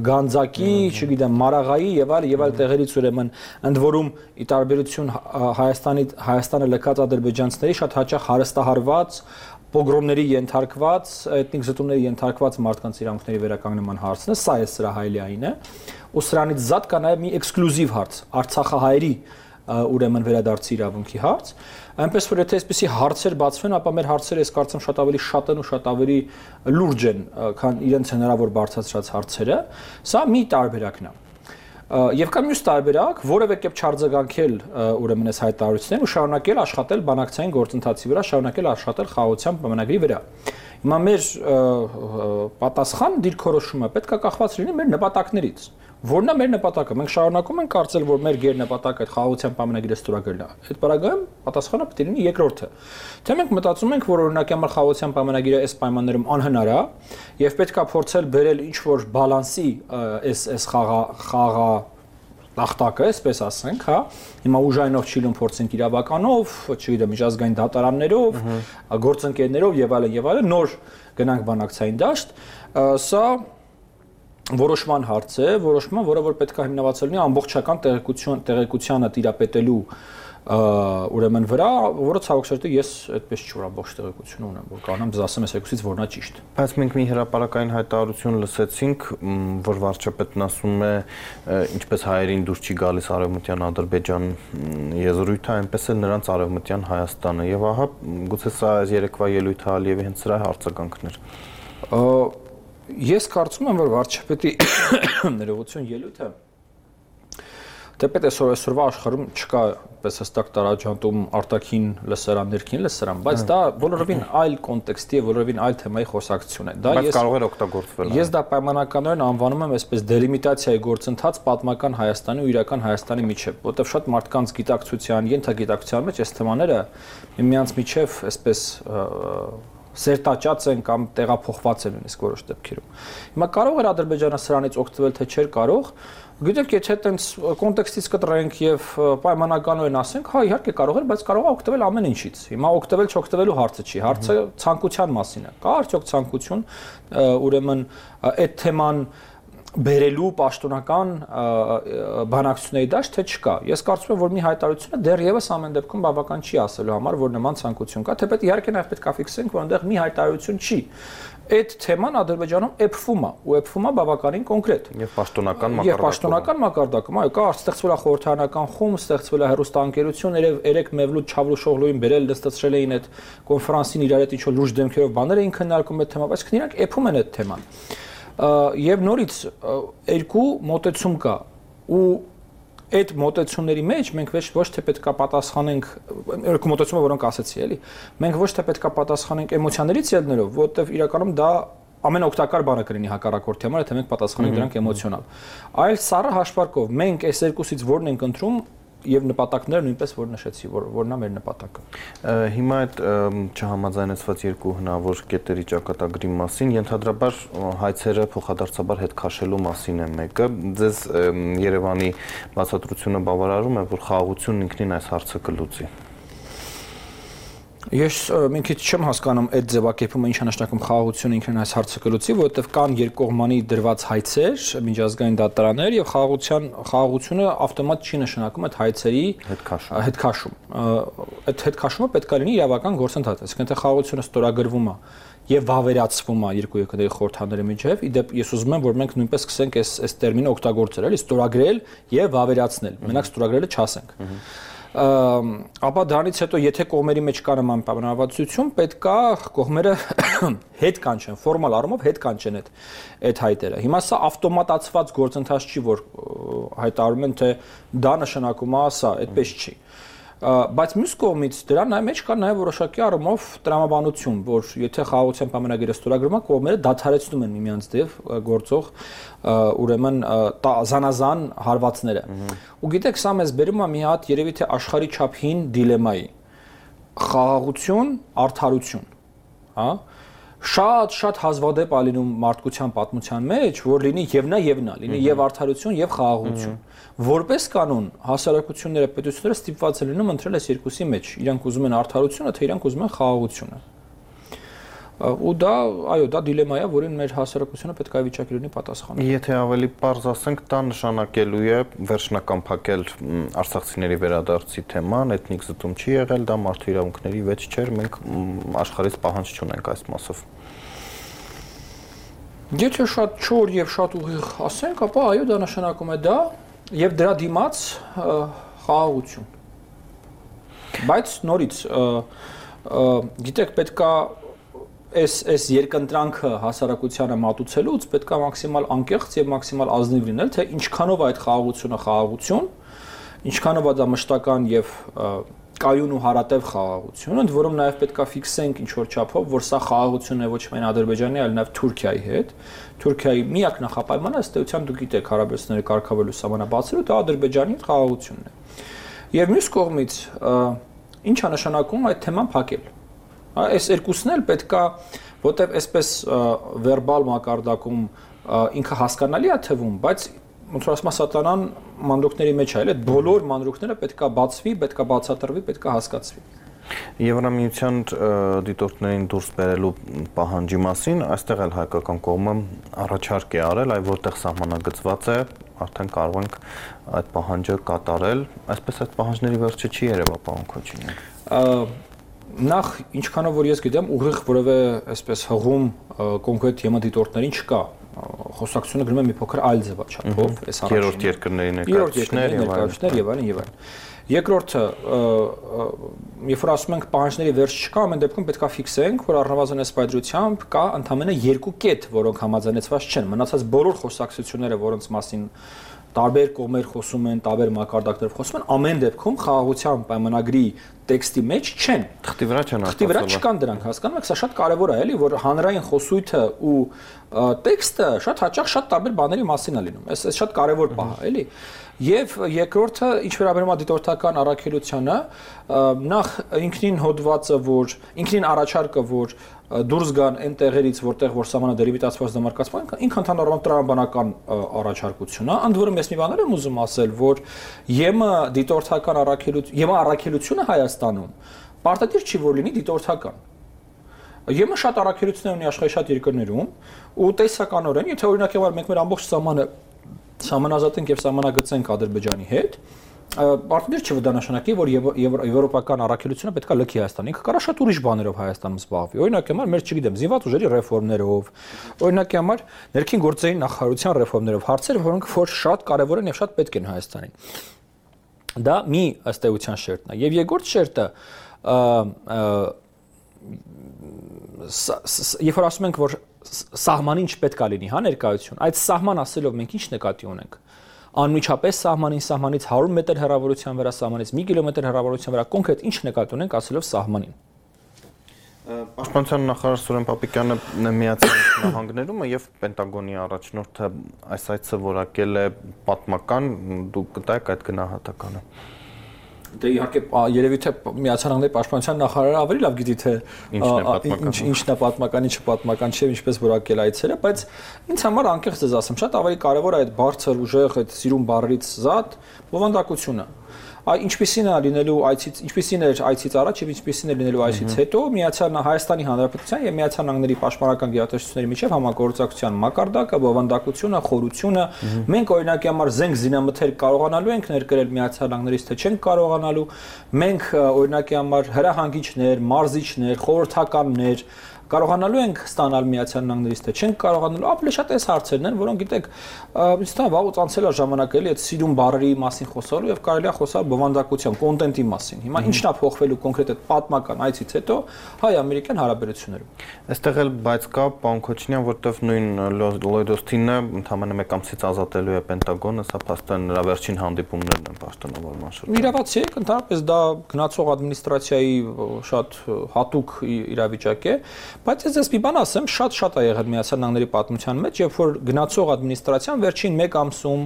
Գանձակի, չգիտեմ, Մարաղայի եւ այլ եւ այլ տեղերից ուրեմն ընդ որում ի տարբերություն Հայաստանի Հայաստանը լքած ադրբեջանցիների շատ հաճախ հարստահարված պոգրոմների ենթարկված, էթնիկ զտումների ենթարկված մարդկանց իրավունքների վերականգնման հարցն է, սա է սրա հայլայինը, ու սրանից զատ կա նաև մի էքսկլյուզիվ հարց, Արցախահայերի ուրեմն վերադարձի իրավունքի հարց, այնպես որ եթե այսպիսի հարցեր բացվեն, ապա մեր հարցերը ես կարծում շատ ավելի շատ են ու շատ ավելի լուրջ են, քան իրենց հնարավոր բարձրացրած հարցերը, սա մի տարբերակն է։ Եվ կա մյուս տարբերակ, որևէ կերպ չարձագանքել ուրեմն այս հայտարարություններին ու շարունակել աշխատել բանակցային գործընթացի վրա, շարունակել աշխատել խաղաղության պայմանագրի վրա։ Հիմա մեր պատասխան դիրքորոշումը պետք է կախված լինի մեր նպատակներից։ Որն է մեր նպատակը։ Մենք շարունակում ենք կարծել, որ մեր գերնպատակը այդ խաղաղության պայմանագիրը ստորագրելն է։ Այդ բaragայում պատասխանը պետք է լինի երկրորդը։ Թե մենք մտածում ենք, որ օրինակ համար խաղաղության պայմանագիրը այս պայմաններում անհնար է եւ պետք է փորձել բերել ինչ-որ բալանսի այս այս խաղա խաղա տախտակը, այսպես ասենք, հա, հիմա ուժայինով Չիլուն փորձենք իրավականով, չգիտեմ, միջազգային դատարաններով, գործընկերներով եւ այլն եւ այլն նոր գնանք բանակցային դաշտ, սա որոշման հարց է, որոշման, որը որ պետք է հիմնված լինի ամբողջական տեղեկություն, տեղեկությանը տիրապետելու ուրեմն վրա, որը ցավոք սերտի ես այդպես չի որ ամբողջ տեղեկություն ունեմ, որ կանեմ ձեզ ասեմ այս եկուսից որն է ճիշտ։ Բայց մենք մի հրապարակային հայտարարություն լսեցինք, որ վարչապետն ասում է, ինչպես հայերին դուրս չի գալիս արևմտյան Ադրբեջան եզրույթը, այնպես էլ նրանց արևմտյան Հայաստանը, եւ ահա գուցե սա երեկվա ելույթը Ալիևի հենց սրա արձագանքն էր։ Ես կարծում եմ, որ վարչապետի ներողություն ելույթը Դեպետ այսօր այսօրվա աշխարհում չկա պես հստակ տարաջանտում արտաքին լսարան, ներքին լսարան, բայց դա բոլորովին այլ կոնտեքստի է, բոլորովին այլ թեմայի խոսակցություն է։ Դա ես կարող էր օգտագործվել։ Ես դա պայմանականորեն անվանում եմ այսպես դելիմիտացիայի գործընթաց պատմական Հայաստանի ու իրական Հայաստանի միջև, որտեղ շատ մարդկանց գիտակցության, ենթագիտակցության մեջ այս թեմաները միմյանց միջև այսպես սերտաճած են կամ տեղափոխված են նույնիսկ որոշ դեպքերում։ Հիմա կարող էր Ադրբեջանը սրանից օգտվել, թե չէր կարող։ Գիտեք, եթե այդպես կոնտեքստից կտրենք եւ պայմանականորեն ասենք, հա իհարկե կարող էր, բայց կարող է օգտվել ամեն ինչից։ Հիմա օգտվել չօգտվելու հարցը չի, հարցը ցանկության մասին է։ Կա արդյոք ցանկություն, ուրեմն այդ թեման բերելու պաշտոնական բանակցությունների դաշտ թե չկա։ Ես կարծում եմ, որ մի հայտարարությունը դեռևս ամեն դեպքում բավական չի ասելու համար, որ նման ցանկություն կա, թեպետ իհարկե նաև պետք է ֆիքսենք, որ այնտեղ մի հայտարարություն չի։ Այդ թեման Ադրբեջանում էփվում է, ու էփվում է բավականին կոնկրետ։ Եվ պաշտոնական մակարդակում։ Եվ պաշտոնական մակարդակում, այո, կա ստեղծվել է խորհրդարանական խումբ, ստեղծվել է հեռուստաընկերություն, երեք Մևլութ Չավուշօղլուին բերել դստացրել էին այդ կոնֆերանսին իրար հետ ինչ-որ լուրջ դեմքերով բաներ էին քննարկում այդ թեմա, բայց քննիրանք էփում են այդ թեման։ Եվ նորից երկու մոտեցում կա ու այդ մոտեցումների մեջ մենք ոչ թե պետքա պատասխանենք երկու մոտեցումը որոնք ասեցի էլի մենք ոչ թե պետքա պատասխանենք էմոցիաներից ելնելով որովհետև իրականում դա ամենօգտակար բանը կլինի հակառակորդի համար եթե մենք պատասխանենք դրանք էմոցիոնալ այլ սառը հաշվարկով մենք այս երկուսից որն ենք ընտրում եւ նպատակները նույնպես որ նշեցի որ որն է մեր նպատակը հիմա այդ չհամաձայնեցված երկու հնարավոր կետերի ճակատագրի մասին ենթադրաբար հայցերը փոխադարձաբար հետ քաշելու մասին է մեկը ձեզ Երևանի բացատրությունը բավարարում է որ խաղաղությունն ինքնին այս հարցը կլուծի Ես մի քիչ չեմ հասկանում այդ ձևակերպումը ինչա նշանակում խաղաղությունը ինքնին այս հարցը կլուծի, որովհետև կան երկկողմանի դրված հայցեր, միջազգային դատարաններ եւ խաղաղության խաղաղությունը ավտոմատ չի նշանակում այդ հայցերի հետքաշում։ Այդ հետքաշումը պետք է լինի իրավական գործընթաց, այսինքն թե խաղաղությունը ստորագրվում է եւ վավերացվում է երկու երկրների խորհրդաների միջև, իդեպ ես ուզում եմ որ մենք նույնպես սկսենք այս այս տերմինը օգտագործել, էլի ստորագրել եւ վավերացնել։ Մենակ ստորագրելը չասենք։ Ապա դրանից հետո եթե կողմերի մեջ կա նման պայմանավորվածություն, պետք է կողմերը հետ կանչեն, ֆորմալ առումով հետ կանչեն այդ այդ հայտերը։ Հիմա սա ավտոմատացված գործընթաց չի, որ հայտարարում են, թե դա նշանակում է սա, այդպես չի։ Բայց մյուս կողմից դրա մեջ կա նաև որոշակի առումով տրամաբանություն, որ եթե խաղաղության պայմանագիրը ստորագրվում է, կողմերը դադարեցնում են միմյանց դեպ գործող ուրեմն զանազան հարվածները։ Ու գիտեք, սա մեզ բերում է մի հատ երևի թե աշխարհի չափ հին դիլեմայի։ Խաղաղություն, արդարություն, հա? Շատ-շատ հազվադեպ է լինում մարդկության պատմության մեջ, որ լինի եւ նա եւ նա, լինի եւ արդարություն եւ խաղաղություն։ Որպես կանոն հասարակությունները, պետությունները ստիպված են լինում ընտրել այս երկուսի մեջ։ Իրանք ուզում են արդարությունը, թե իրանք ուզում են խաղաղությունը։ Ու դա, այո, դա դիլեմա է, որին մեր հասարակությունը պետք է վիճակի լինի պատասխանել։ Եթե ավելի պարզ ասենք, դա նշանակելու է վերջնական փակել արցախցիների վերադարձի թեման, էթնիկ զտում չի եղել, դա մարդու իրավունքների վեճ չէր, մենք աշխարհից պահանջ չունենք այս մասով։ Եթե շատ չոր եւ շատ ուղիղ ասենք, ապա այո, դա նշանակում է դա եւ դրա դիմաց խաղաղություն։ Բայց նորից գիտեք, պետքա Այս այս երկընտրանքը հասարակությանը մատուցելուց պետք է մաքսիմալ անկեղծ եւ մաքսիմալ ազնիվ լինել, թե ինչքանով այդ խաղաղությունը խաղաղություն, ինչքանով է դա մշտական եւ կայուն ու հարատև խաղաղություն, ընդ որում նաեւ պետք է ֆիքսենք ինչ որ չափով, որ սա խաղաղություն է ոչ միայն Ադրբեջանի, այլ նաեւ Թուրքիայի հետ։ Թուրքիայի միակ նախապայմանը ըստ էության դուք գիտեք հարաբերությունները կարգավորելու սահմանաբացելու դա Ադրբեջանի հետ խաղաղությունն է։ Եվ մյուս կողմից ի՞նչ է նշանակում այդ թեման փակել։ Այս երկուսն էլ պետքա, որտեվ այսպես վերբալ մակարդակում ինքը հասկանալի է թվում, բայց ոնց որ ասում է սատանան մանրուքների մեջ է, այլ այդ բոլոր մանրուքները պետքա բացվի, պետքա բացատրվի, պետքա հասկացվի։ Եվրամիության դիտորդներին դուրս բերելու պահանջի մասին այստեղ էլ հայկական կողմը առաջարկ է արել, այ որտեղ սահմանագծված է, արդեն կարող ենք այդ պահանջը կատարել, այսպես այդ պահանջների վերջը չի երևա, պարոն Քոչինյան։ Նախ ինչքանով որ ես գիտեմ, ուղիղ որևէ այսպես հղում կոնկրետ թեմա դիտորդներին չկա։ Խոսակցությունը գնում է մի փոքր այլ ձևաչափով, այս առաջին երրորդ երկրների ներկայացուցիչներ եւ այլն եւ այլն։ Երկրորդը, երբ որ ասում ենք պահանջների վերջ չկա, ամեն դեպքում պետք է ֆիքսենք, որ առնվազն այս պայծրությամբ կա ընդամենը երկու կետ, որոնք համաձայնեցված չեն։ Մնացած բոլոր խոսակցությունները, որոնց մասին տարբեր կողմեր խոսում են, տարբեր մակարդակներով խոսում են, ամեն դեպքում խաղաղության պայմանագրի տեքստի մեջ չեն։ Թղթի վրա չեն Թղթի վրա չկան դրանք, հասկանում եք, սա շատ կարևոր է, էլի, որ հանրային խոսույթը ու տեքստը շատ հաճախ շատ տարբեր բաների մասին է լինում։ Այս շատ կարևոր բան է, էլի։ Եվ երկրորդը, ինչ վերաբերում է դիտորդական առաքելությանը, նախ ինքնին հոդվածը, որ ինքնին առաջարկը, որ դուրս գան այն տեղերից, որտեղ որ սահմանը դերիվիտացված դեմարկացման, ինքն ընդհանրապես տրամաբանական առաջարկություն է։ Ընդ որում ես մի բան եմ ուզում ասել, որ ԵՄ դիտորդական առաքելություն, ԵՄ առաքելությունը Հայաստանում պարտադիր չի որ լինի դիտորդական։ ԵՄ շատ առաքելություններ ունի աշխարհի շատ երկրներում ու տեսականորեն, եթե օրինակ մենք մեր ամբողջ սահմանը սահմանազատենք եւ սահմանագծենք Ադրբեջանի հետ, պարտադիր չի դա նշանակի, որ եվրոպական առաքելությունը պետք է լքի Հայաստան։ Ինքը կարա շատ ուրիշ բաներով Հայաստանում զբաղվի։ Օրինակի համար մեր չգիտեմ, զինված ուժերի ռեֆորմներով, օրինակի համար ներքին գործերի նախարարության ռեֆորմներով, հարցեր, որոնք որ շատ կարևոր են եւ շատ պետք են Հայաստանին։ Դա մի ըստ էության շերտն է։ Եվ երկրորդ շերտը, երբ որ ասում ենք, որ սահմանին չպետք է լինի, հա, ներկայություն, այդ սահման ասելով մենք ինչ նկատի ունենք։ Անմիջապես սահմանին, սահմանից հարյուր մետր հեռավորության վրա, սահմանից մի կիլոմետր հեռավորության վրա կոնկրետ ինչ նկատի ունենք ասելով սահմանին։ Պաշտպանության նախարար Սուրեն Պապիկյանը Միացյալ Նահանգներում եւ Պենտագոնի առաջնորդը այս այցը որակել է պատմական, դուք կտայեք այդ գնահատականը։ Դե իհարկե երևի թե Միացյալ Նահանգների պաշտպանության նախարարը ավելի լավ գիտի թե ինչն է պատմական, ինչը պատմական չէ, ինչպես որակել այցերը, բայց ինձ համար անկեղծ ես ասեմ, շատ ավելի կարևոր է այդ բարձր ուժեղ, այդ սիրուն բառերից զատ բովանդակությունը։ Այ ինչպեսին է լինելու այցից, ինչպեսին էր այցից առաջ եւ ինչպեսին է լինելու այցից հետո Միացյալ Հայաստանի Հանրապետության եւ Միացյալ Նահանգների պաշտպանական գերատեսչությունների միջև համագործակցության մակարդակը, բովանդակությունը, խորությունը, մենք օրինակի համար զենք զինամթեր կարողանալու ենք ներկրել Միացյալ Նահանգներից, թե չենք կարողանալու, մենք օրինակի համար հրահանգիչներ, մարզիչներ, խորհրդականներ կարողանալու ենք ստանալ Միացյալ Նահանգներից, թե չենք կարողանալու, ավելի շատ այս հարցերն են, որոնք գիտեք, ինձ թվում է վաղուց անցել է ժամանակը էլի այդ սիրուն բառերի մասին խոսալու եւ կարելի է խոսալ բովանդակության, կոնտենտի մասին։ Հիմա ինչն է փոխվելու կոնկրետ այդ պատմական այցից հետո հայ-ամերիկյան հարաբերություններում։ Այստեղ էլ բայց կա պարոն Քոչինյան, որտեղ նույն Լոյդ Օսթինը ընդամենը մեկ ամսից ազատելու է Պենտագոնը, սա փաստորեն նրա վերջին հանդիպումներն են պաշտոնավորման շրջանում։ Իրավացի եք, ընդհանրապես դա գնացող ադմինիստրացիայի շատ հատուկ իրավիճակ է, բայց ես ես մի բան ասեմ, շատ-շատ է եղել Միացյալ Նահանգների պատմության մեջ, երբ որ գնացող ադմինիստրացիան վերջին մեկ ամսում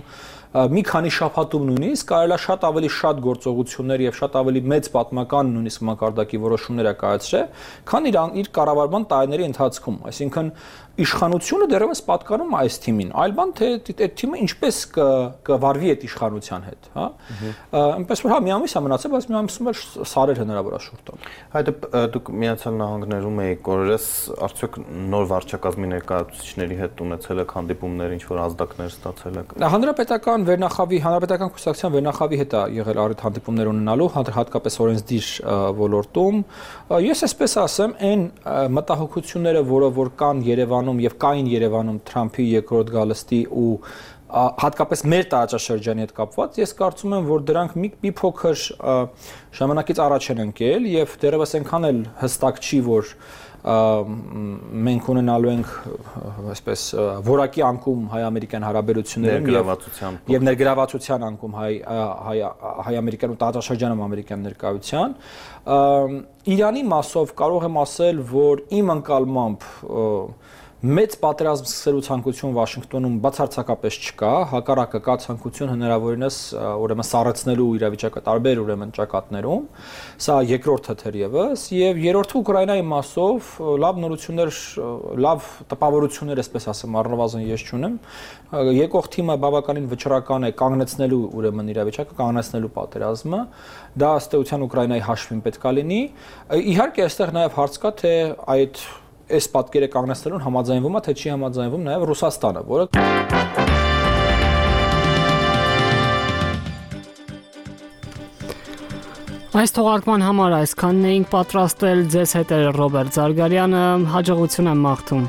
մի քանի շաբաթում նույնիսկ կարելի է շատ ավելի շատ գործողություններ եւ շատ ավելի մեծ պատմական նույնիսկ մակարդակի որոշումներ է կայացրել, քան իր իր կառավարման տարիների ընթացքում, այսինքն իշխանությունը դեռևս պատկանում է այս թիմին, այլ բան թե այդ թիմը ինչպես կվարվի այդ իշխանության հետ, հա։ Այնպես որ հա մի ամիս է մնացել, բայց մի ամիսում էլ սարեր հնարավոր է շուրջ տալ։ Այդ դուք Միացյալ Նահանգներում եք օրերս արդյոք նոր վարչակազմի ներկայացուցիչների հետ ունեցել եք հանդիպումներ, ինչ որ ազդակներ ստացել եք։ Հանրապետական վերնախավի, հանրապետական կուսակցության վերնախավի հետ է եղել առիթ հանդիպումներ ունենալու, հատկապես օրենսդիր ոլորտում։ Ես այսպես ասեմ, այն մտահոգությունները, որը որ կան Երևանում եւ կային Երևանում Թրամփի երկրորդ գալստի ու հատկապես մեր տարածաշրջանի հետ կապված, ես կարծում եմ, որ դրանք մի, մի փոքր ժամանակից առաջ են ընկել եւ դեռևս այնքան էլ հստակ չի, որ մենք ունենալու ենք այսպես որակի անկում հայ-ամերիկյան հարաբերություններում եւ ներգրավվածության անկում հայ հայ-ամերիկյան ու տարածաշրջանում ամերիկյան ներկայության Իրանի մասով կարող եմ ասել, որ իմ ընկալմամբ մեծ պատերազմ սկսելու ցանկություն Վաշինգտոնում բացարձակապես չկա, հակառակը կա ցանկություն հնարավորինս ուրեմն սառեցնելու իրավիճակը տարբեր ուրեմն ճակատներում, սա երկրորդը թերևս, եւ երրորդը Ուկրաինայի մասով լավ նորություններ, լավ տպավորություններ, այսպես ասեմ, առնվազն ես չունեմ, եկող թիմը բավականին վճռական է կանգնեցնելու ուրեմն իրավիճակը, կանգնեցնելու պատերազմը, դա ըստ էության Ուկրաինայի հաշվին պետք է լինի, իհարկե այստեղ նաեւ հարց կա, թե այդ այս պատկերը կանգնեցնելուն համաձայնվում է, թե չի համաձայնվում նաև Ռուսաստանը, որը Այս թողարկման համար այսքանն էինք պատրաստել, ձեզ հետ էր Ռոբերտ Զարգարյանը, հաջողություն եմ մաղթում։